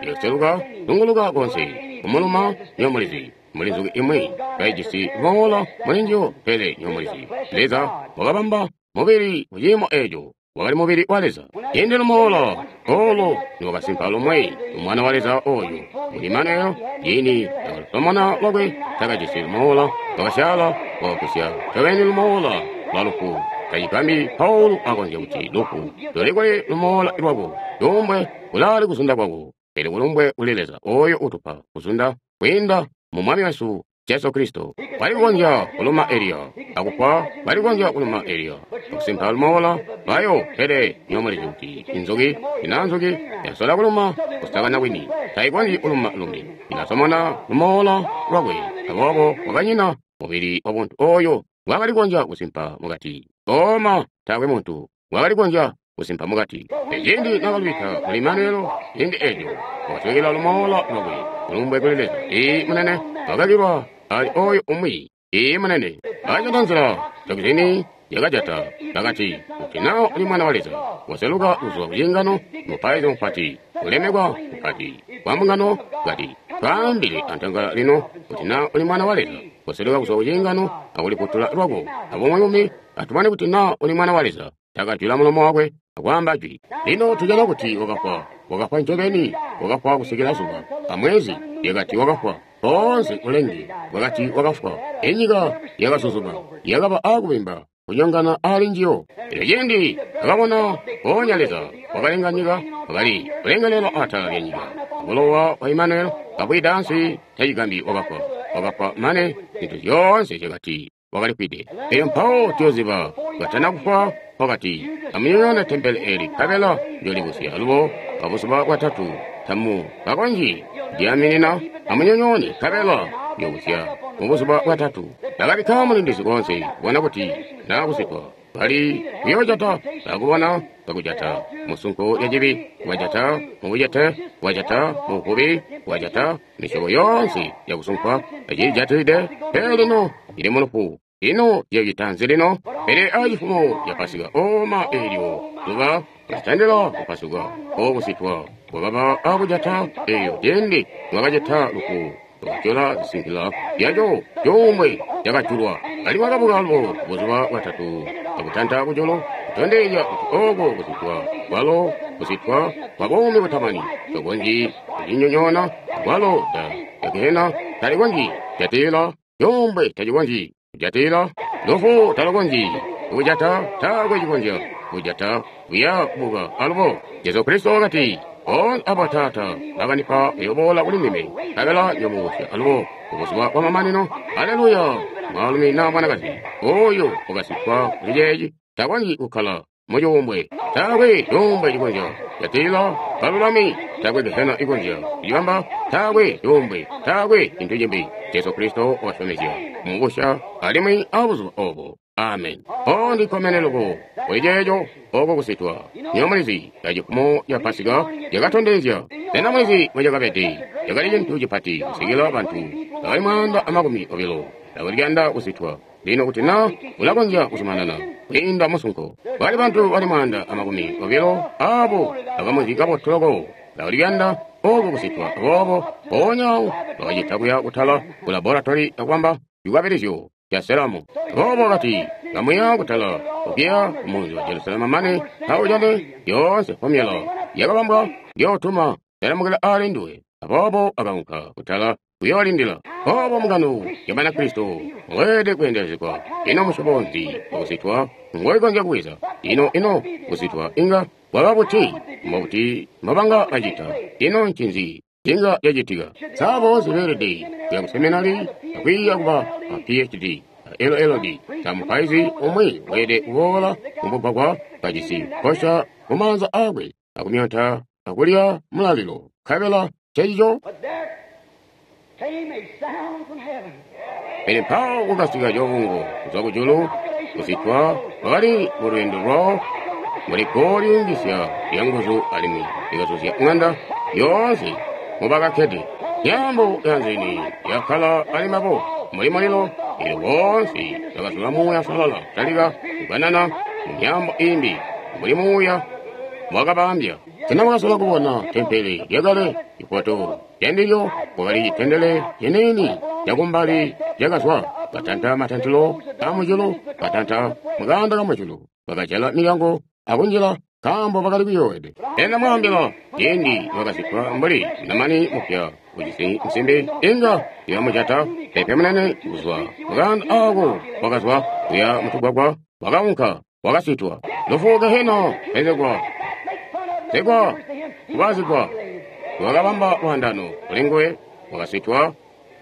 iyoseluka zunguluka konse kumuluma nyomulizi. Muli nzuki imwi kaijisi moola muli njiyo, pele nyomulizi Leza wakabamba mubili kuciimo eco wakali mubili wa Leza. Ciindi lumoola olo niwakasimpa lumwe umwana wa Leza oyu muli Imanuelo, ciindi nakalusomona lwakwe takajisi lumoola, wakasyaala wakagusya ncobeni lumoola lwa lufu. Tacigambyi Paulo akonzya kuti lufu lulikuli lumoola lwako, lumbwe kulaali kuzunda kwako, pele kulumbwe kuli Leza oyo utupa kuzunda kwiinda mu Mwami wesu Jesu Kristo. Bali kukonzya kuluma Eliya akufwa, bali kukonzya kuluma Eliya akusimpa lumoola lwayo, pele nyomulizi kuti inzuki ina nzuki yasola kuluma kusakana kwini, tayikonzyi kuluma lumbi, inasomona lumoola lwakwe. Aboobo wakanyina mubili wabuntu oyo wakali kukonzya kusimpa mukati. Oma taakwe muntu wakali kukonzya kusimpa mukati. Ciindi nakalubika muli Imanuelo, ciindi eco wakaswekela lumoola lwakwe. Kulumbwe kuli Leza. Ii munene wakakilwa ali oyo umwi. Ii munene akajata nzila tokizini yakajata bakati, kuti naa uli mwana wa Leza, waseluka kuzwa kuciingano, mupaizi mupati ulemekwa mupati wa mbungano kati, twaambile antangala lino kuti naa uli mwana wa Leza, waseluka kuzwa kuciingano akuliputula lwako abumwi atumane kuti naa uli mwana wa Leza. Takajula mulomo wakwe akwaamba jwi. Lino tujana kuti wakafwa, wakafwa ncobeni, wakafwa kusikila zuba amwezi lyakati wakafwa. Boonse ulenge bwakati wakafwa. Inyika yakazuzuma, yakaba akubimba, kunyongana ali njiyo. Elyo cindi akabona mpoonya Leza wakalenga nyika, wakali kulengelela atala lya nyika. Bulowa bwa Emmanuel kabwida ansi, tacigambi wakafwa. Wakafwa mane zintu zyoonse zyakati wakalifwide. Elyo mpawo tuyoziba katana kufwa, wakati, amunyonyoone tempele eli, nkabela njoolibusya alubo pabuzuba bwatatu. Tamu kakonzyi kudyaaminina, amunyonyoone, nkabela njoobusya mubuzuba bwatatu. Bakabikka mulindizi koonse kubona kuti naa kusikwa. Bali kuyoojata, bakubona bakujata musunko lya cibi, wajata mubujete, wajata mubuvubi, wajata misyobo yoonse yakusunkwa, acijatilide, pele lino ili mulufu. Ino yocita nzi lino? Pele acifumo ca Pasika oma eelyo zuba litandila kupasuka okusitwa kwakaba akujata eeyo ciindi lwakacita lufu lwakatyola zisinkila zyaco cuumbwe cakajulwa alimwi wakabuka alubo buzuba bwatatu akutanta kujulu kutondezya kuti ooko kusitwa kwalo kusitwa kwa buumi butamani tokonzyi kucinyonyoona kwalo da gehena talikonzyi kujatila cuumbwe tacikonzyi kujatila lufu talukonzyi kujata taakwe cikonzya kujata buya kubuka alubo. Jesu Kristo wakati, boonse aba Taata bakandipa bayoboola kuli ndime, nkabela njoomubusya alubo kubuzuba bwamamanino. Aleluya! Mwaalumi naa mwanakazi oyo wakasitwa kuli ceeci takonzyi kukkala mucuumbwe. Taakwe cuumbwe cikonzya kujatilila balulami, taakwe gehena ikonzya kucibamba, taakwe cuumbwe, taakwe cintu cimbi. Jesu Kristo wakasyomezya kumubusya alimwi abuzuba obo. Amen. O ndikkomene loko kuli ceeco oko kusitwa. Nywebo mulizi, cifumo ca Pasika cakatondezya. Sena mulizi mbocakabede? Cakali cintu cipati kusikila bantu bakali 120 bakali kuyanda kusitwa. Lino kuti na ulakonzya kuzumanana kwiinda musunko, kwali bantu bali 120 abo bakamuzi kabotu loko bakali kuyanda oko kusitwa. Aboobo mpoonya bakacita kuya kutala ku laboratory akubamba cikwabilizyo ca seramu. Aboobo wakati, kamuya kutala okuya kumunzi wa Jerusalemu mane kaujane yoonse fomyala yakabambwa njootuma selamukila ali nduwe. Aboobo akaunka kutala kuyoolindila. Obo mbungano ya Banakristo mweelede kweendelezegwa. Ino musyobo nzi wakusitwa ngoikonzya kuweza? Ino kusitwa inga kwaba buti? Mbobuti mbobanga bacita? Ino ncinzi cinga cacitika? Sa boonse beelede kuya ku seminari akwiiya kuba a PhD, a LLD? Sa mupaizi umwi weelede kuboola mumugwagwa kajisi nkosha mumaanza aakwe akumyonta akulya mulalilo, nkabela ncecico? Pele mpawo kukasika coongo kuzwa kujulu, kusitwa kwakali mulweendo lwawo mbuli guwo lyuungisya lyanguzu alimwi likazuzya ŋanda yoonse mubakakkede. Myaambo yanzini yakkala ali mbabo mbuli mulilo, eelyo boonse bakazula Muuya Uusalala kutalika kukanana mumyaambo iimbi mbuli Muuya mbwaakabaambya. Sena mwakasola kubona tempele lyakale? Cifoto candilyo kwakali citendele ciniini cakumbali cakazwa, katanta matantilo aamujulu, katanta mukaanda kamujulu, bakajala milyango akunjila nkaambo bakali kuyoowede. Pele ndamwaambila, ciindi nibakazikkwa mbuli namani mupya ujisi nsimbi, inga yamujata pepe munene kuzwa mukaanda aako wakazwa kuya mutugwagwa, wakaunka, wakasitwa. Lufu gehena pezegwa, zegwa, kubazigwa, wakabamba lwaandano kuli nguwe, wakasitwa.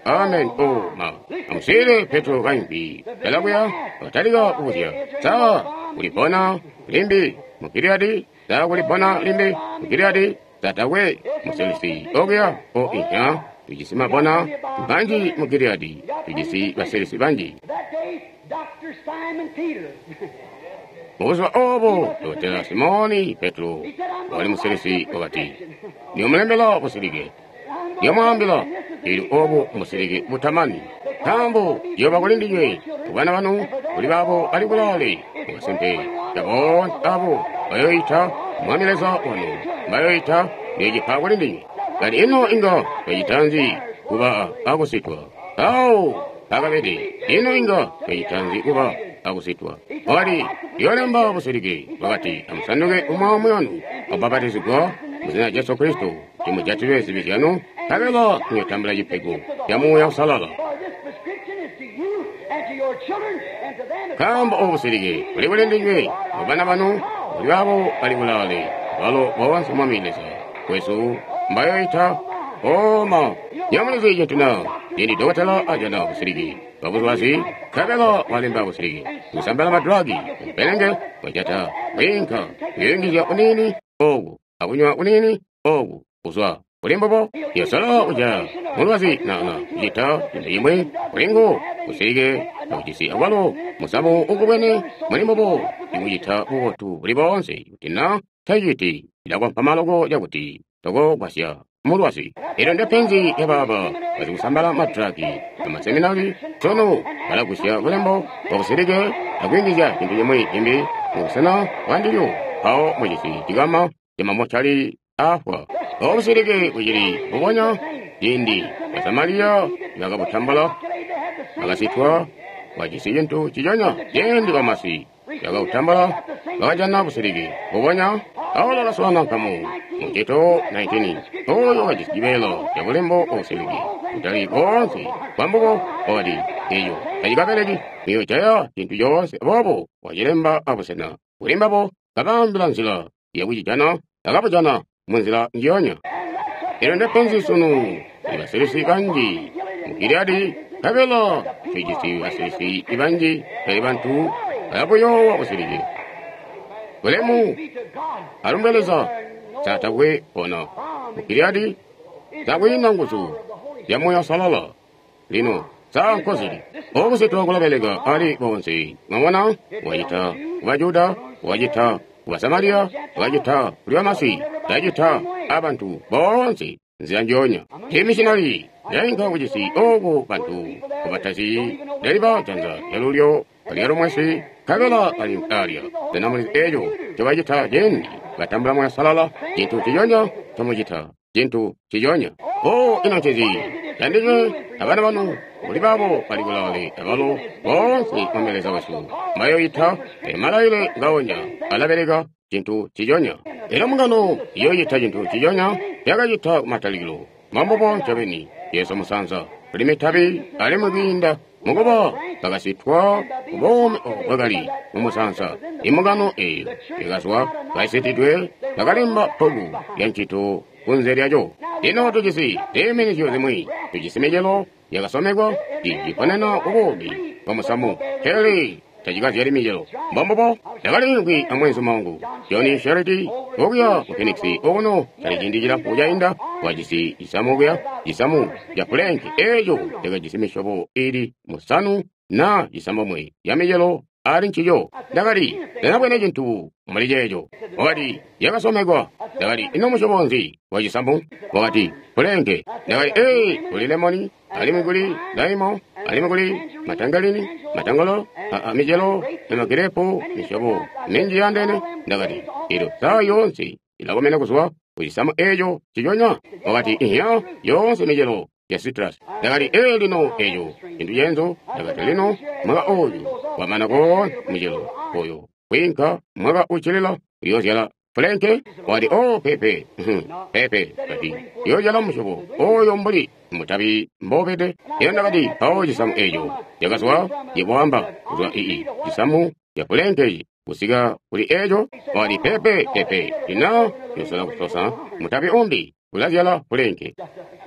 Amen. Oh, ma. Amuswiilile Petro kaimbi kalakuya, wakatalika kubuzya, sa kulibona limbi mu Giliyadi? Sa kulibona limbi mu Giliyadi? Sa takwe musilisi okuya? O inhya, tujisi mabona banji mu Giliyadi, tujisi basilisi banji. Mubuzuba obo, Dokotela Simoni Petro wakali musilisi wakati, Ndiyomulembela busilike. Ndiyomwaambila, ili obu mbusilike butamani. Nkaambo ciyooba kuli ndinywe, kubana banu, kuli baabo bali kulaale, mukasimpe ca boonse abo bayoyita Mwami Leza wanu, bayoyita ndiyocipa kuli ndinywe. Kati ino inga twacita nzi kuba akusitwa? Awo akabede, ino inga twacita nzi kuba akusitwa? Wakati, ndiyolemba busilike. Wakati, amusanduke umwi aumwi wanu, akubapatizigwa muzina lya Jesu Kristo, kuti mujatilwe zibi zyanu, Nkabela muyotambula cipego ca Muuya Uusalala. Nkaambo obu busilike buli kuli ndinywe, mubana banu, kuli baabo bali kulaale, balo boonse Mwami Leza wesu mbayoita. Oma, nyamulizi cintu na cindi dokotela ajana busilike bwabulwazi, nkabela walemba busilike, kusambala madragi, umpelenge, wajata, kwiinka, kuyungizya uniini oku, akunywa uniini oku, kuzwa kuli mbubo, yosala kuja mulwazi na kucita cintu cimwi kulingu busilike akujisi akwalo musamu ukubwene muli mbubo ikucita bubotu buli boonse kuti na taciti ilakwampa loko cakuti tokogwasya mulwazi. Elyo ndepenzi lyabaaba basikusambala madragi amaseminari sunu balagusya bulembo bwabusilike akuyungizya cintu cimwi cimbi mubusena bwandilyo, mpawo mujisi cikama camamocali aafwa. Obusilike bucili mbubonya ciindi Basamaliya bakabutambula bakasitwa bajisi cintu ciconya ciindi bamasi bakabutambula bakajana busilike mbubonya. Paulo wakaswaana nkamu mu Tito 19 oyo wakajisi cibeela ca bulembo obusilike kutali boonse bwambubo wakati eyo tacikabeleki muyojaya cintu coonse, aboobo wacilemba abusena kuli mbabo kabaambila nzila yakucijana bakabujana munzila njionya. Elyo ndepenzi sunu kuli basilisi banji mu Giliyadi, nkabela tujisi basilisi banji pele bantu bayabuyoowa busilike. Bulemu alumbwe Leza satakwe pona mu Giliyadi takwiina nguzu zya Muuya Uusalala. Lino saa nkozili obusetwa kulabeleka ali bonse. Mwabona, wacita ku Bajuda, wacita ku Basamariya, wacita kuli bamasi, wacita abantu boonse nzila njionya. Imishinali yainka kucisi oku bantu kubatazi leliba janza lyalulyo lyalumwesi nkabela bali alya. Sena mulizi eco ncobacita cindi batambula Muuya Uusalala? Cintu ciconya ncomucita, cintu ciconya. O ino ncezi candinywe abana banu kuli baabo bali kulaale abalo boonse Mwami Leza wesu mbayoyita. Malaile ngaonya alabeleka cintu ciconya. Elyo mbungano iyoyita cintu ciconya yakacita kumatalikilo. Mambubo ncobeni Yesu musanza kuli mitabi alimwi kwiinda mukuba bakasitwa kubuumi obo bwakali mumusanza. Imbungano eyo ikazwa kaisitidwe bakalemba bbuku lya ncito kunze lyaco. Lino tujisi ziiminizyo zimwi, tujisi micelo yakasomekwa iciponena kubuumi bwa musamu, pele tacikazyali micelo. Mbombubo ndakaliimvwi amweenzuma wangu Johnny Sharity okuya ku Phoenix okuno cali ciindi cilamfu cainda, wajisi cisamu okuya, cisamu ca pulenki eco cakajisi misyobo ili 9 na 9 ya micelo ali ncico. Ndakati, ndakabwene cintu muli ceeco. Wakati, yakasomekwa. Ndakati, ino musyobo nzi wa cisamu? Wakati, pulenke. Ndakati, ee, kuli lemoni, alimwi kuli laimo, alimwi kuli matangalini, matangolo, micelo, emagirepu, misyobo minji yandene. Ndakati, elyo saa yoonse ilakomena kuzwa ku cisamu eco ciconya. Wakati, ihya, yoonse micelo ya citrus. Ndakati, ee, lino eco cintu cenzo. Ndakati, lino mwaka oyu wamana koonse micelo oyo kwiinka mwaka ucilila uyozyala fulenke. Wakati, oh, pepe, pepe. Kati, uyozyala musyobo oyo mbuli mutabi mbobede. Elyo ndakati, mpawo cisamu eco cakazwa yebwamba kuzwa ii cisamu ca fulenke kusika kuli eco. Wakati, pepe, pepe, lino yosola kusosa mutabi umbi ulazyala fulenke.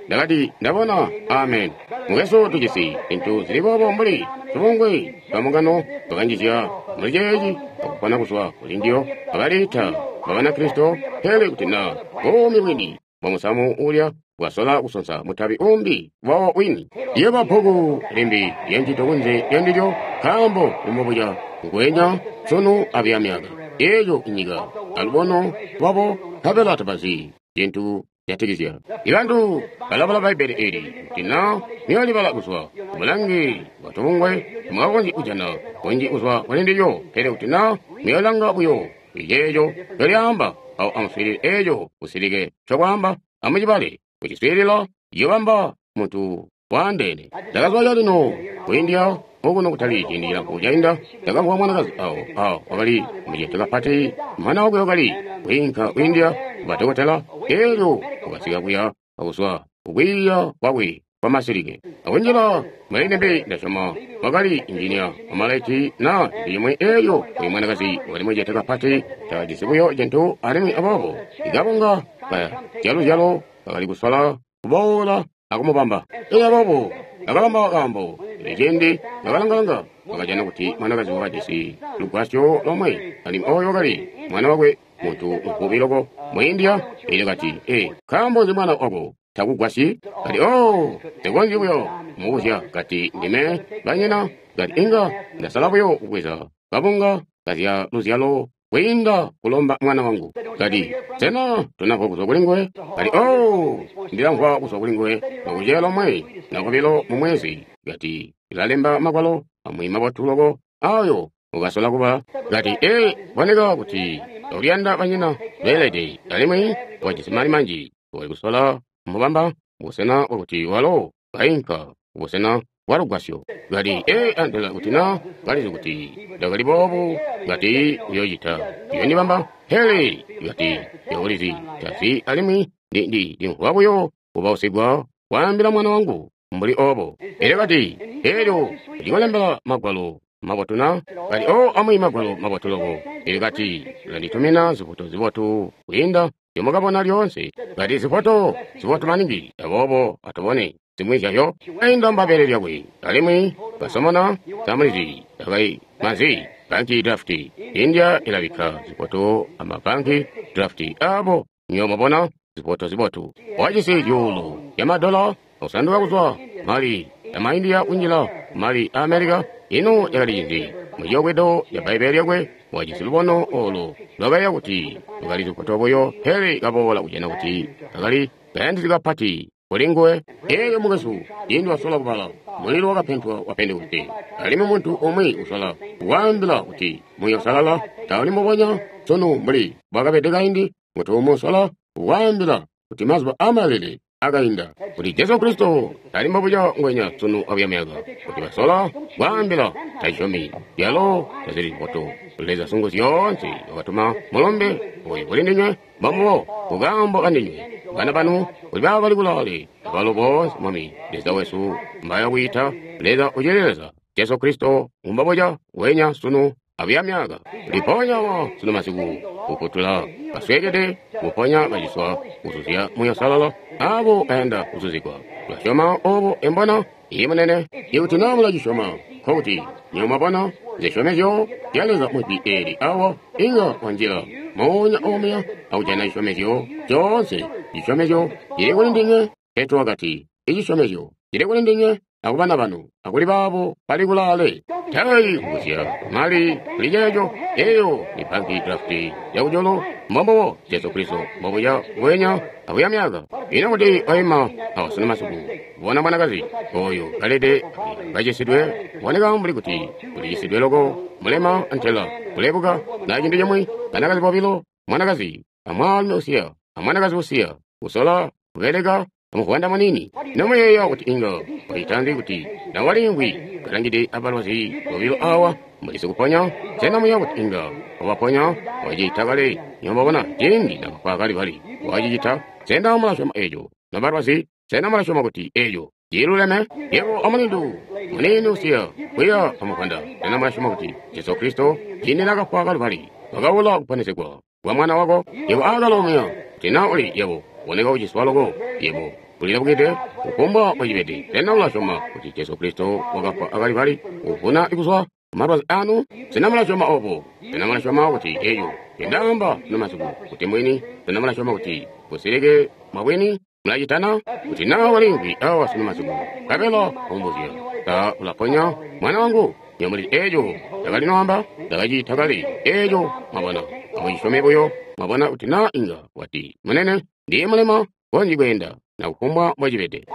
Ndakati, ndabona. Amen. Mukwesu, tujisi zintu zili boobo mbuli tubungwe twa mbungano twakanjizya muli ceeci akupona kuzwa kuli ndiyo abaliita Banakristo, pele kuti na buumi bwini bwa musamu ulya bwasola kusonsa mutabi umbi wawo wini. Liyooba bbuku limbi lya ncito kunze lya ndilyo, nkaambo bumubuya ngwenya sunu abuya myaka eyo inyika alubono lwabo nkabela tabazi cintu jatikizya. Ibantu balabala Bbaibbele eli kuti na muyolibala kuzwa kumulangi wa tubungwe temwakakonzyi kujana kunji kuzwa kuli ndilyo, pele kuti na muyolanga buyo iceeco ncolyaamba, awo amuswiilile eeco busilike ncobwaamba, amucibale kuciswiilila iyobamba muntu waandeene. Ndakazwa calino ku India okuno kutali ciindi cilamfu cainda, ndakamvwa mwanakazi awo awo wakali mucete kapati, mwana wakwe wakali kwiinka ku India kubadokotela, elyo wakasika kuya akuzwa kukwiiya kwakwe kwa masilike. Akunjila mulilembi ndasyoma wakali injinia wamalaiti na cintu cimwi eeyo oyu mwanakazi wakali mucete kapati takajisi buyo cintu alimwi aboobo ikabunga ka zyaluzyalo kakali kusola kuboola akumubamba. Elyo aboobo akabamba kaambo. Elyo cindi nakalangalanga wakajana kuti mwanakazi wakajisi lugwasyo lomwe alimwi oyo wakali mwana wakwe muntu muvubi loko mu India. Elyo kati, ee, nkaambo nzi mwana wako takugwasyi? Kati, oh, nsikonzyi buyo mubuzya. Kati, ndime banyina. Kati, inga ndasala buyo kubweza kabunga kazya luzyalo kwiinda kulomba mwana wangu. Kati, sena tonamvwa kuzwa kuli nguwe? Kati, oh, ndilamvwa kuzwa kuli nguwe nakuceya lomwe na kobilo mu mwezi. Kati, ndilalemba magwalo amwi mabotu loko ayo ukasola kuba. Kati, ee, boneka kuti uliyanda banyina beelede alimwi wajisi mali manji. Wali kusola mubamba busena bwakuti walo kainka busena bwa lugwasyo. Kati, ee, antela kuti na kalizi kuti ndakali boobu, kati uyocita uyondibamba. Pele kati ulizi tazi alimwi ndimvwa buyo kubausigwa kwaambila mwana wangu mbuli obo. Elyo kati, elyo ndikolembela magwalo mabotu na? Kati, oh, amwi magwalo mabotu loko. Elyo kati, ulanditumina zifoto zibotu kwiinda nzyomukabona lyoonse. Kati, zifoto zibotu maningi, aboobo atubone zimwi zyayo. Ainda mbabele lyakwe alimwi basomona zamulizi akai mazi banki drafti. India ilabikka zifoto amabanki drafti abo nyomabona zifoto zibotu. Wajisi zyuulu ya madola akusanduka kuzwa mali ya India kunjila mali a America. Ino yakali cinzi? Muciyobwedo ya Bbaibbele lyakwe wajisi lubono olo lwakaiya kuti lwakali zifoto buyo, pele kaboola kujana kuti kakali kayandisi kapati kuli nguwe. Elyo mukwesu, cindi wasola kubala mulilo wakapentwa wa Pentekoste, alimwi muntu umwi usola kuwaambila kuti Muuya Uusalala tauli mbubonya sunu mbuli bwakabede kaindi, muntu umwi usola kuwaambila kuti mazuba amalele akainda, kuti Jesu Kristo tali mbubonya ngwenya sunu abuya myaka, kuti basola kwaambila taisyomi yalo tazili zibotu. Leza sungu zyoonse wakatuma mulombe oyu kuli ndinywe, mbambubo kukaambo kandinywe bana banu kuli baabo bali kulaale abalo boonse Mwami Leza wesu mbaya kwiita. Leza ucili Leza, Jesu Kristo mbubonya ngwenya sunu abuya myaka. Liponya wa sunu masiku kufutula basweekede, kuponya baciswa, kuzuzya Muuya Uusalala abo bayanda kuzuzigwa. Mulasyoma obo embona? Iye munene. Ikuti na mulacisyoma, nkokuti nywebo mwabona zisyomezyo zya Leza mujwi eli awa, inga wanjila moonya omuya akujana cisyomezyo coonse. Cisyomezyo cili kuli ndinywe. Petro wakati, icisyomezyo cili kuli ndinywe akubana banu akuli baabo bali kulaale. Tai kubuzya mali kuli ceeco. Eyo ni banki drafti yakujulu. Mbombubo Jesu Kristo mbobuya ngwenya abuya myaka. Ino kuti waima awa sunu masiku kubona mwanakazi oyo kalede kacisidwe, boneka mbuli kuti ulicisidwe loko, mulema antela kulebuka na cintu cimwi, banakazi bobilo, mwanakazi amwaalumi usiya amwanakazi usiya kusola kubeleka amuvwanda munini. Nomuyeeya kuti inga wacitanzi kuti nawalimvwi kalangide abalwazi bobilo awa mbuli sikuponya? Sena muyeeya kuti inga wabaponya? Wacita kale. Nyomabona cindi nakafwa Kalibali wacicita. Sena mulasyoma eco nobalwazi? Sena mulasyoma kuti eco ciluleme? Yebo amulindu munini usiya kuya amuvwanda, sena mulasyoma kuti Jesu Kristo cindi nakafwa Kalibali wakaula kuponesegwa kwa mwana wako? Yebo akalomuya kuti na uli yebo boneka kuciswa loko, yebo ulilabukide kufumbwa wacibede. Sena ulasyoma kuti Jesu Kristo wakafwa akalibali kuvuna kuzwa kumalwazi anu? Sena mulasyoma obo? Sena mulasyoma kuti eyo ndendaamba sunu masiku kuti mwini? Sena mulasyoma kuti busilike mwabwini? Mulacitana kuti na walimvwi awa sunu masiku nkabela kumbuzya sa ulaponya mwana wangu? Nyomuli eco ndakalinoamba ndakacita kale eco. Mwabona, amucisyome buyo. Mwabona kuti na inga wati, munene, ndiye mulema konzyi kweenda na kufumbwa mbwacibede.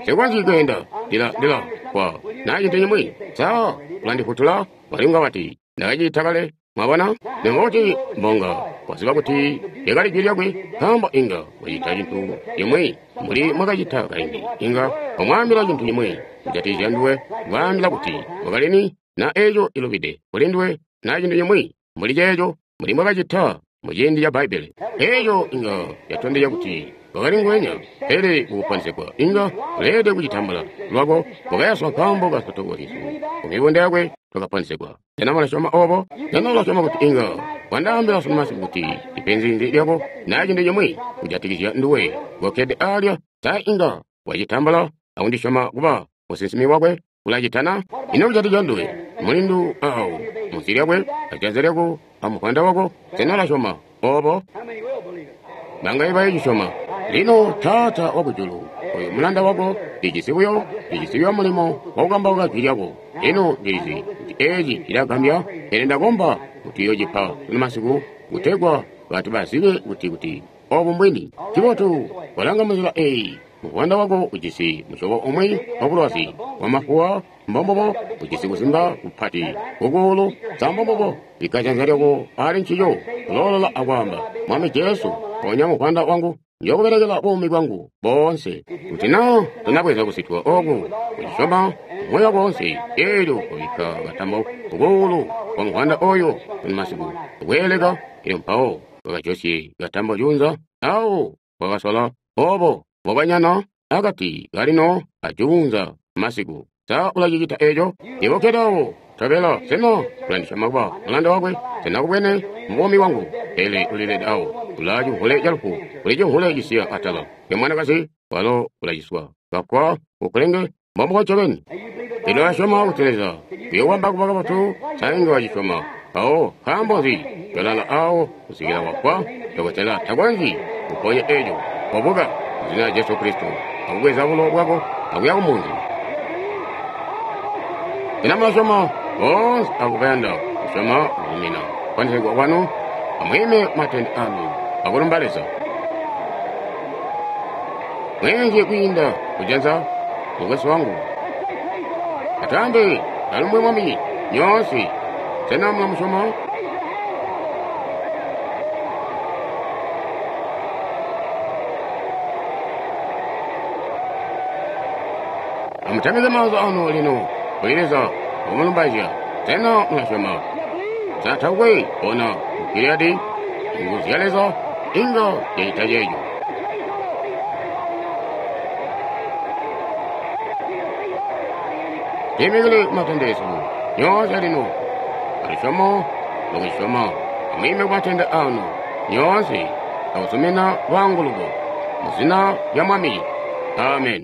Nsikonzyi kweenda, ndila kwa na cintu cimwi. Sa ulandifutula? Walinga wati ndakacita kale. Mwabona, nekuti mbonga waziba kuti lyakali jwi lyakwe, nkaambo inga wacita cintu cimwi mbuli mwakacita kaindi. Inga wamwaambila cintu cimwi kujatikizya nduwe, kwaambila kuti wakalini na eco ilubide kuli nduwe, na cintu cimwi mbuli ceeco mbuli mwakacita muciindi ca Bbaibbele. Eco inga yatondezya kuti Wakali nguwenya, pele kukuponesegwa inga uleelede kucitambula lwako. Wakayaswa nkaambo ka nsotoko zyesu, ku mibunda yakwe twakaponesegwa. Sena mulasyoma obo? Sena ulasyoma kuti inga wandaambila sunu masiku kuti ipenzi nzi lyako na cintu cimwi kujatikizya nduwe kokkede alya? Sa inga wacitambula akundisyoma kuba musinsimi wakwe? Ulacitana? Ino kujatikizya nduwe, mulindu awo munsi lyakwe, ajanza lyako amuvwanda wako? Sena ulasyoma obo? Bangaye bayo cisyoma? Lino, Taata Wakujulu, oyu mulanda wako, ndijisi buyo mulimo wakukambauka jwi lyako. Lino ndilizi kuti eci cilagambya, pele ndakomba kuti uyocipa sunu masiku, kutegwa bantu bazibe kuti obu mbwini. Cibotu, walanga munzila eyi, muvwanda wako ujisi musyobo umwi wa bulwazi bwa mafuwa, mbombubo, ujisi kuzimba kupati kukuulu, sa mbombubo? Bikka janza lyako ali ncico, kuloolola akwaamba, Mwami Jesu, ponya muvwanda wangu, njookubelekela buumi bwangu boonse. Kuti na tonabweza kusitwa oku, kucisyoma moyo wako woonse, eelyo wabikka katambo kukuulu kwa muvwanda oyo sunu masiku, kweeleka, elyo mpawo wakajosye katambo juunza, awo wakasola obo mbobanyana akati kalino ajuunza masiku. Sa ulacicita eco? Yebo kkede awo, tobela, sena ulandisyoma kuba mulanda wakwe? Sena kubwene mubuumi bwangu? Pele ulilede awo, ulaa cimvule calufu, kuli cimvule cisiya atala. Pe mwanakazi, walo ulaciswa, kafwa kukulenge, mbombubo ncobeni. Pele ulasyoma kuti Leza uyowamba kuba kabotu? Sa inga wacisyoma? Mpawo nkaambo nzi yolala awo kusikila wafwa? Dokotela takonzyi kuponya eco. Kobuka mu zina lya Jesu Kristo, akubweza bulo bwako akuya kumunzi. Sena mulasyoma? Boonse abo bayanda kusyoma kuzumina kuponesegwa kwanu, amwiime matende anu akulumba Leza. Mweenzye kwiinda kujanza, mukwesu wangu. Atwaambe, alumbwe Mwami, nyoonse. Sena mulamusyoma? Amutamike maanza anu lino kuli Leza akumulumbaizya. Sena mulasyoma? Sa takwe bona mu Giliyadi nguzu zya Leza inga zyacita ceeco? Twiimikile kumatende esu nyoonse lino, alusyomo lwakucisyoma. Amwiime kumatende anu nyoonse akuzumina lwaanguluko mu zina lya Mwami. Amen.